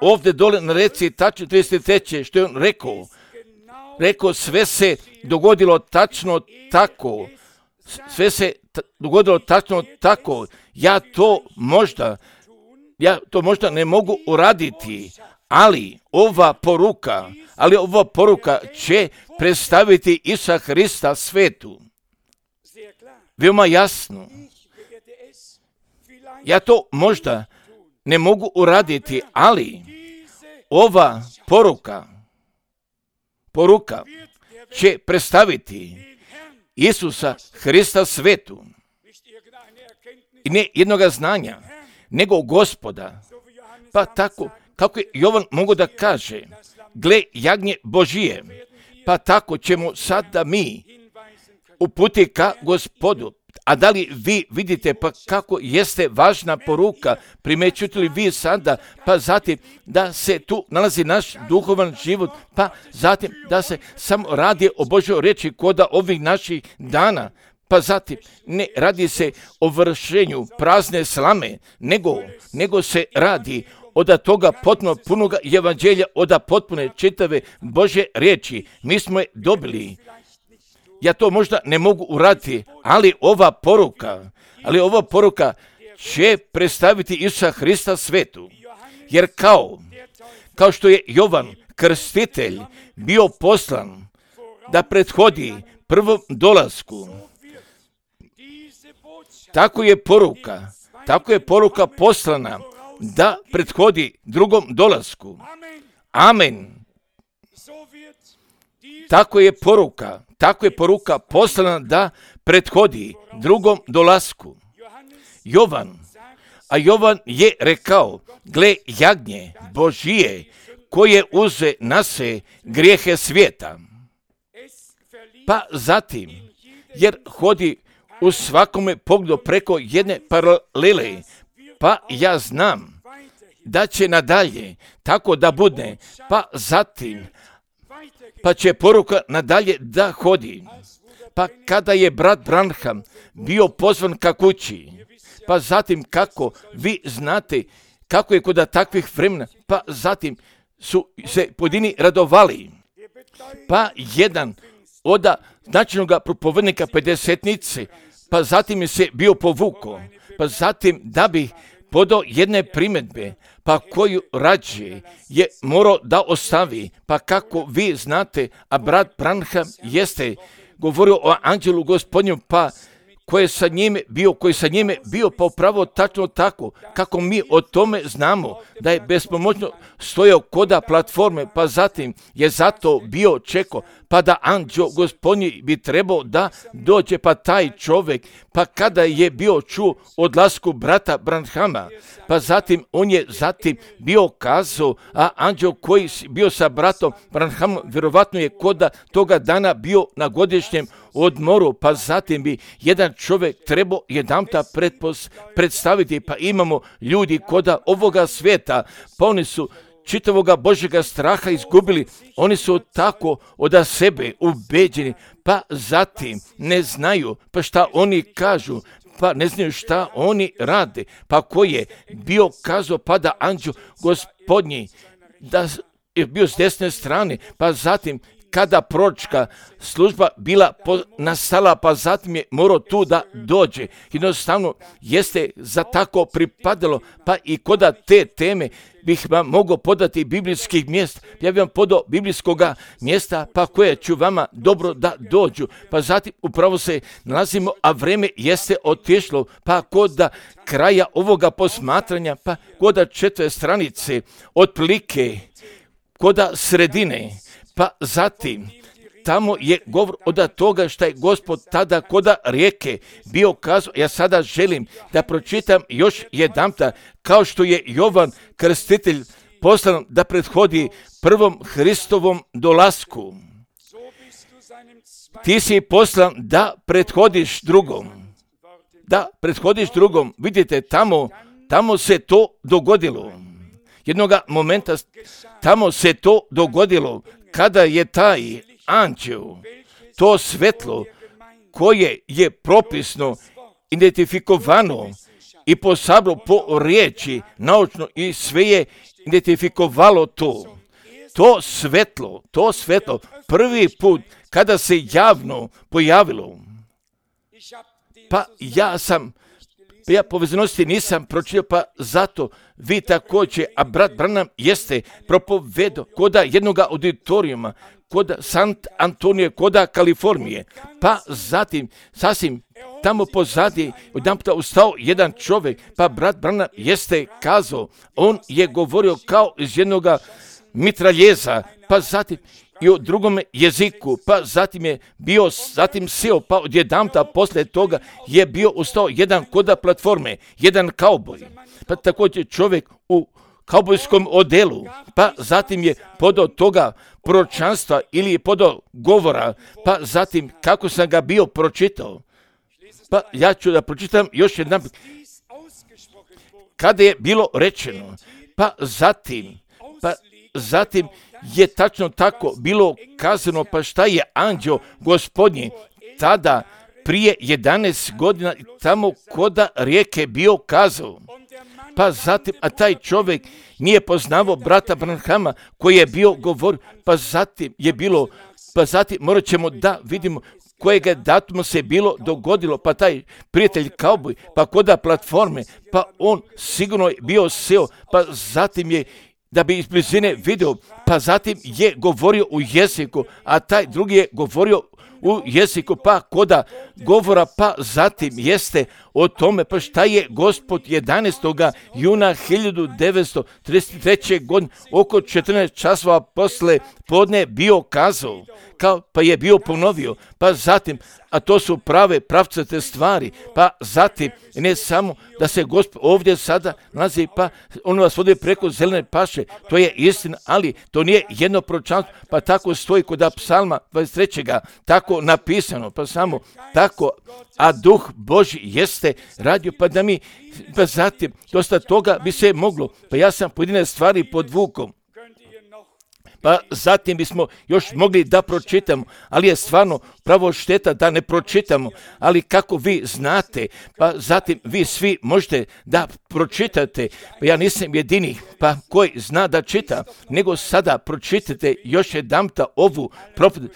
ovdje dole na reci tačno 33. što je on rekao sve se dogodilo tačno tako, ja to možda ne mogu uraditi, ali ova poruka će predstaviti Isusa Hrista svetu. Veoma jasno. Ja to možda ne mogu uraditi, ali ova poruka će predstaviti Isusa Hrista svetu. I ne jednoga znanja, nego Gospoda. Pa tako, kako je Jovan mogu da kaže, gle jagnje Božije, pa tako ćemo sada mi uputi ka Gospodu. A da li vi vidite pa kako jeste važna poruka, primećujete li vi sada, pa zatim da se tu nalazi naš duhovan život, pa zatim da se samo radi o Božoj riječi koda ovih naših dana, pa zatim ne radi se o vršenju prazne slame, nego se radi od toga potpuno punoga evanđelja, od potpune čitave Božje riječi. Mi smo je dobili. Ja to možda ne mogu uraditi, ali ova poruka će predstaviti Isusa Hrista svetu. Jer kao što je Jovan Krstitelj bio poslan da prethodi prvom dolasku, tako je poruka poslana da prethodi drugom dolasku. Amen. Tako je poruka poslana da prethodi drugom dolasku. Jovan je rekao, gle jagnje Božije koje uze na se grijehe svijeta. Pa zatim, jer hodi u svakome pogledu preko jedne paralele, pa ja znam da će nadalje tako da bude, pa zatim pa će poruka nadalje da hodi. Pa kada je brat Branham bio pozvan ka kući, pa zatim kako vi znate kako je kod takvih vremena, pa zatim su se pojedini radovali. Pa jedan od značajnog propovednika pedesetnice, pa zatim je se bio povukao, pa zatim da bi podao jedne primjedbe, pa koju rađe je morao da ostavi, pa kako vi znate, a brat Branham jeste govorio o anđelu Gospodnju, pa koji sa njime bio pa upravo tačno tako, kako mi o tome znamo, da je bespomoćno stojao koda platforme, pa zatim je zato bio čekao, pa da anđeo Gospodnji bi trebao da dođe, pa taj čovjek, pa kada je bio čuo odlasku brata Branhama, pa zatim on je bio kazao, a anđeo koji bio sa bratom Branhamom, vjerovatno je koda toga dana bio na godišnjem odmoru, pa zatim bi jedan čovjek trebao jedanputa predstaviti, pa imamo ljudi koda ovoga svijeta, pa oni su čitavoga Božjega straha izgubili, oni su tako od sebe ubeđeni, pa zatim ne znaju, pa šta oni kažu, pa ne znaju šta oni rade, pa ko je bio kazao, pa da anđeo Gospodnji, da je bio s desne strane, pa zatim kada proročka služba bila nastala, pa zatim je morao tu da dođe. Jednostavno jeste za tako pripadalo, pa i koda te teme bih vam mogao podati biblijskih mjesta. Ja bih vam podao biblijskoga mjesta, pa koje ću vama dobro da dođu. Pa zatim upravo se nalazimo, a vreme jeste otišlo, pa kod kraja ovoga posmatranja, pa kod 4. stranice, otprilike kod sredine, pa zatim tamo je govor od toga što je Gospod tada koda rijeke bio kazao. Ja sada želim da pročitam još jedanputa, kao što je Jovan Krstitelj poslan da prethodi prvom Hristovom dolasku. Ti si poslan da prethodiš drugom. Da prethodiš drugom. Vidite, tamo se to dogodilo. Jednoga momenta tamo se to dogodilo kada je taj anđel, to svetlo koje je propisno identifikovano i posablo po riječi naučno i sve je identifikovalo to. To svetlo prvi put kada se javno pojavilo. Pa ja povezanosti nisam pročitao, pa zato vi također, a brat Branham jeste propovedao koda jednoga auditorijuma, koda Sant Antonije, koda Kalifornije, pa zatim sasvim tamo pozadije odjedanputa ustao jedan čovjek, pa brat Branham jeste kazao, on je govorio kao iz jednoga mitraljeza, pa zatim i u drugom jeziku, pa zatim seo, pa odjedanputa poslije toga je bio ustao jedan koda platforme, jedan kauboj, pa također čovjek u kaubojskom odelu, pa zatim je podao toga proročanstva ili je podao govora, pa zatim kako sam ga bio pročitao. Pa ja ću da pročitam još jedan. Kada je bilo rečeno, pa zatim je tačno tako bilo kazano, pa šta je anđeo Gospodnji tada prije 11 godina tamo koda rijeke bio kazao. Pa zatim, a taj čovjek nije poznavao brata Branhama koji je bio govorio, pa zatim morat ćemo da vidimo kojega datuma se bilo dogodilo, pa taj prijatelj kauboj, pa koda platforme, pa on sigurno je bio seo, pa zatim je da bi iz blizine vidio, pa zatim je govorio u jeziku, a taj drugi je govorio u jeziku, pa koda govora, pa zatim jeste o tome, pa šta je Gospod 11. juna 1933. godine oko 14 časova posle podne bio kazao, pa je bio ponovio, pa zatim, a to su prave pravcate stvari, pa zatim ne samo da se Gospod ovdje sada nalazi, pa on vas vodi preko zelene paše, to je istina, ali to nije jedno proročanstvo, pa tako stoji kod Psalma 23. tako napisano, pa samo tako, a Duh Božji jeste radio, pa da mi, pa zatim, dosta toga bi se moglo, pa ja sam pojedine stvari podvukao, pa zatim bismo još mogli da pročitamo, ali je stvarno pravo šteta da ne pročitamo, ali kako vi znate, pa zatim vi svi možete da pročitate, pa ja nisam jedini, pa koji zna da čita, nego sada pročitate još jedanputa ovu propovijed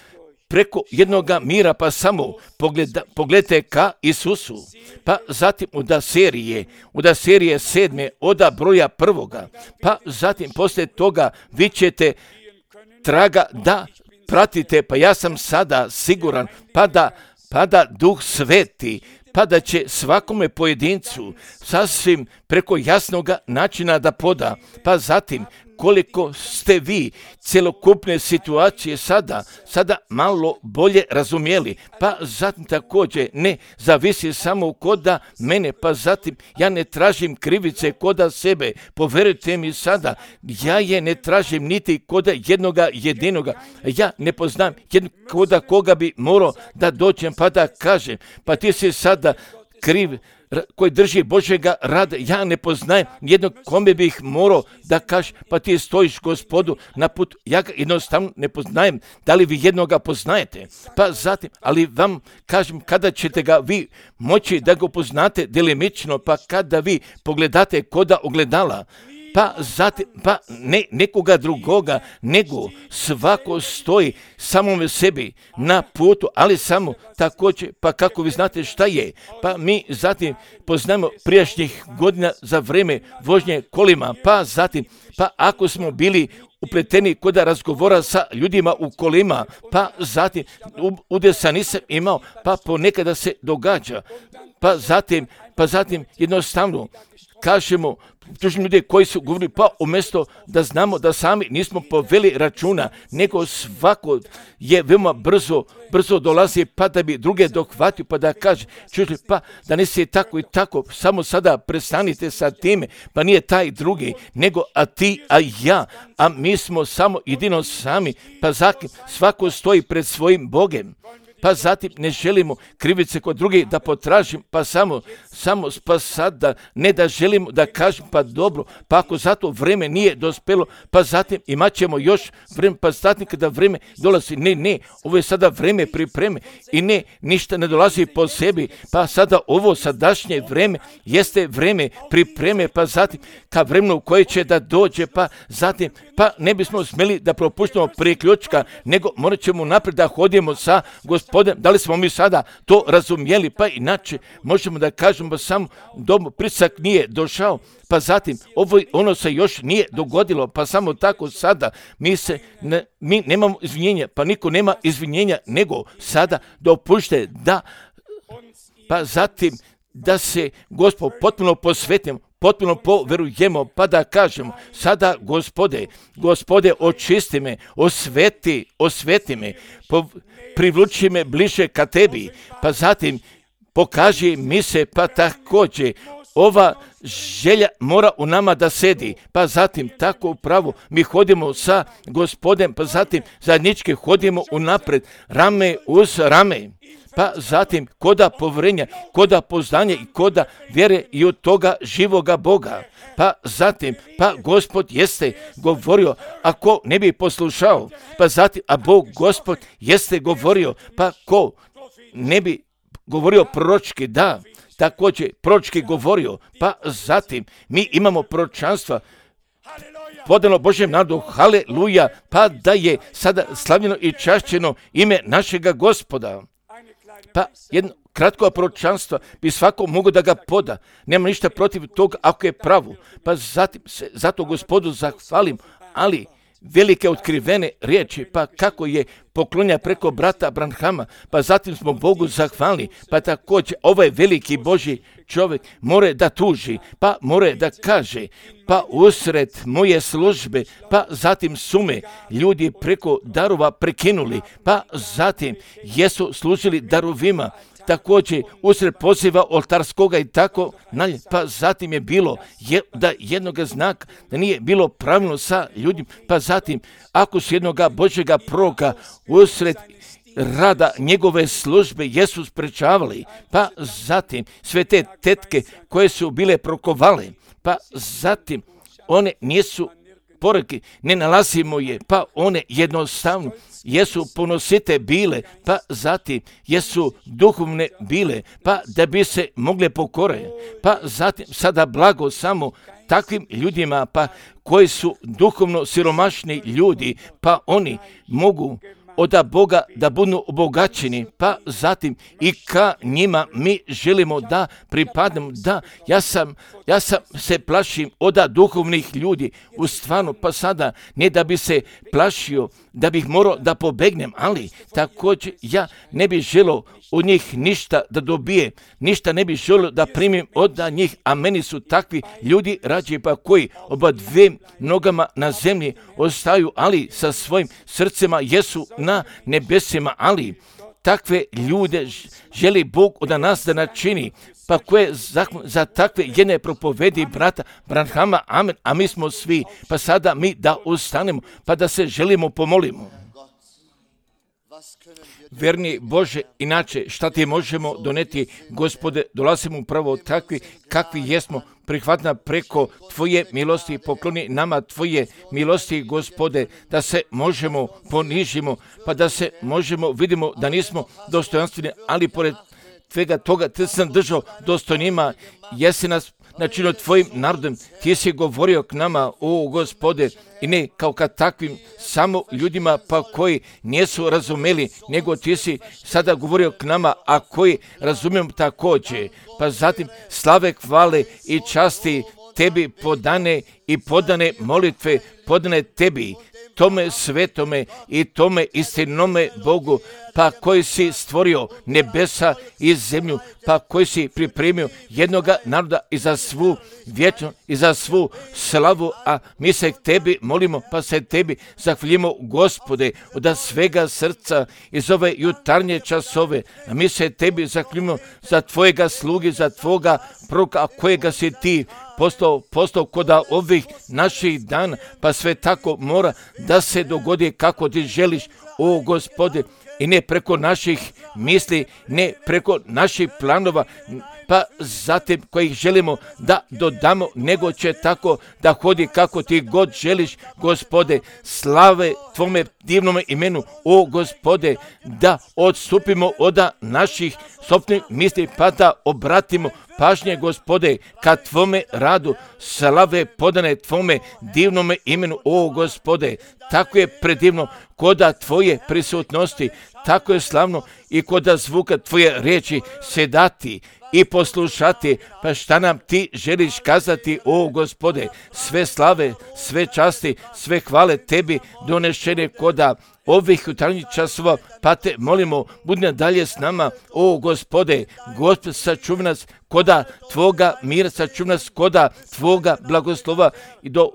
preko jednoga mira, pa samo pogledajte ka Isusu, pa zatim od serije 7. od broja 1. Pa zatim poslije toga vi ćete traga da pratite, pa ja sam sada siguran, pa da Duh Sveti, pa da će svakome pojedincu sasvim preko jasnoga načina da poda, pa zatim koliko ste vi cjelokupne situacije sada malo bolje razumjeli, pa zatim također ne zavisi samo koda mene, pa zatim ja ne tražim krivice koda sebe, poverujte mi sada, ja je ne tražim niti koda jednoga jedinoga, ja ne poznam koda koga bi morao da dođem pa da kažem, pa ti si sada kriv koji drži Božjega rada, ja ne poznajem jednog kome bih morao da kažem, pa ti stojiš Gospodu na putu, ja ga jednostavno ne poznajem, da li vi jednoga poznajete, pa zatim, ali vam kažem kada ćete ga vi moći da ga poznate delimično, pa kada vi pogledate koda ogledala, pa zatim, pa ne nekoga drugoga, nego svako stoji samome sebi na putu, ali samo također, pa kako vi znate šta je, pa mi zatim poznamo prijašnjih godina za vrijeme vožnje kolima, pa zatim, pa ako smo bili upleteni kod razgovora sa ljudima u kolima, pa zatim udesa nisam imao, pa ponekada se događa, pa zatim jednostavno kažemo tužni ljudi koji su govorili, pa umjesto da znamo da sami nismo poveli računa, nego svako je veoma brzo dolazi, pa da bi druge dohvatio, pa da kaže, čuti, pa da nisi tako i tako, samo sada prestanite sa time, pa nije taj drugi, nego a ti, a ja, a mi smo samo jedino sami, pa zatim svako stoji pred svojim Bogem. Pa zatim ne želimo krivice kod drugih da potražim, pa samo pa sada ne da želimo da kažem, pa dobro, pa ako zato vrijeme nije dospelo, pa zatim imat ćemo još vrijeme, pa zatim kada vrijeme dolazi, ne, ovo je sada vrijeme pripreme i ne, ništa ne dolazi po sebi, pa sada ovo sadašnje vrijeme jeste vrijeme pripreme, pa zatim ka vremenu koje će da dođe, pa zatim, pa ne bismo smjeli da propuštamo priključka, nego morat ćemo naprijed da hodimo sa Gospodom. Da li smo mi sada to razumjeli, pa inače možemo da kažemo pa samo pritisak nije došao, pa zatim ono se još nije dogodilo, pa samo tako sada mi nemamo izvinjenja, pa niko nema izvinjenja, nego sada dopušte da, pa zatim da se Gospod potpuno posvetimo, potpuno poverujemo, pa da kažemo, sada Gospode, očisti me, osveti me, privluči me bliže ka tebi, pa zatim pokaži mi se, pa također ova želja mora u nama da sedi, pa zatim tako upravo mi hodimo sa Gospodem, pa zatim zajednički hodimo unapred, rame uz rame. Pa zatim koda povjerenja, koda poznanja i koda vjere i od toga živoga Boga. Pa zatim, pa Gospod jeste govorio, ako ne bi poslušao, pa zatim, a Bog Gospod jeste govorio, pa ko ne bi govorio proročki, da, također proročki govorio, pa zatim mi imamo proročanstva, podano Božjem narodu, haleluja, pa da je sada slavljeno i čašćeno ime našega Gospoda. Pa jedno kratko proročanstvo bi svako mogo da ga poda. Nema ništa protiv toga ako je pravo. Pa zatim se zato Gospodu zahvalim, ali velike otkrivene riječi, pa kako je poklonja preko brata Branhama, pa zatim smo Bogu zahvalni, pa također ovaj veliki Božji čovjek more da tuži, pa more da kaže, pa usred moje službe, pa zatim su me ljudi preko darova prekinuli, pa zatim jesu služili darovima, također usred poziva oltarskoga i tako dalje, pa zatim je bilo da jednoga znaka da nije bilo pravilno sa ljudima, pa zatim ako su jednoga Božjega proroka usred rada njegove službe jesu sprečavali, pa zatim sve te tetke koje su bile prokovale, pa zatim one nisu poruke, ne nalazimo je, pa one jednostavno jesu ponosite bile, pa zatim jesu duhovne bile, pa da bi se mogle pokore, pa zatim sada blago samo takvim ljudima, pa koji su duhovno siromašni ljudi, pa oni mogu od Boga da budu obogaćeni, pa zatim i ka njima mi želimo da pripadnemo, da ja sam se plašim od duhovnih ljudi, u stvarno, pa sada ne da bi se plašio, da bih morao da pobegnem, ali također ja ne bih želio od njih ništa da dobije, ništa ne bih želio da primim od njih, a meni su takvi ljudi rađe, pa koji oba dve nogama na zemlji ostaju, ali sa svojim srcima jesu na nebesima, ali takve ljude želi Bog od nas da načini, pa koje za takve jedne propovedi brata Branhama, amen, a mi smo svi, pa sada mi da ustanemo, pa da se želimo pomolimo. Verni Bože, inače šta ti možemo doneti, Gospode, dolazimo upravo takvi kakvi jesmo, prihvatna preko Tvoje milosti, pokloni nama Tvoje milosti, Gospode, da se možemo ponižimo, pa da se možemo, vidimo da nismo dostojanstveni, ali pored svega toga Ti sam držao dostojnima, jesi nas načinio tvojim narodom. Ti si govorio k nama, o Gospode, i ne kao ka takvim samo ljudima pa koji nisu razumeli, nego ti si sada govorio k nama, a koji razumijemo također. Pa zatim slave, hvale i časti tebi podane i podane molitve, podane tebi, tome svetome i tome istinome Bogu, pa koji si stvorio nebesa i zemlju, pa koji si pripremio jednoga naroda i za svu vječnost i za svu slavu, a mi se tebi molimo, pa se tebi zahvaljujemo, Gospode, od svega srca iz ove jutarnje časove, a mi se tebi zahvaljujemo za tvojega sluge, za tvoga proroka, kojega si ti postao koda ovih naših dana, pa sve tako mora da se dogodi kako ti želiš, o Gospode, i ne preko naših misli, ne preko naših planova, pa zatim kojih želimo da dodamo, nego će tako da hodi kako ti god želiš, Gospode. Slave tvome divnome imenu, o Gospode, da odstupimo od naših sopstvenih misli, pa da obratimo pažnje, Gospode, ka tvome radu. Slave podane tvome divnome imenu, o Gospode. Tako je predivno koda tvoje prisutnosti, tako je slavno i koda zvuka tvoje riječi sedati i poslušati, pa šta nam ti želiš kazati, o Gospode. Sve slave, sve časti, sve hvale tebi donešene koda ovih jutarnjih časova, pa te molimo, budi dalje s nama, o Gospode. Gospod, sačuvaj nas koda tvoga mira, sačuvaj nas koda tvoga blagoslova i do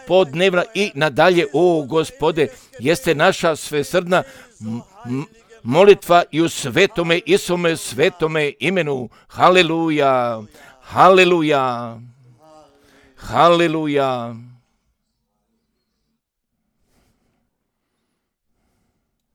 podnevna i nadalje, o Gospode. Jeste naša svesrdna molitva i u svetome Isome svetome imenu. Haleluja, haleluja, haleluja.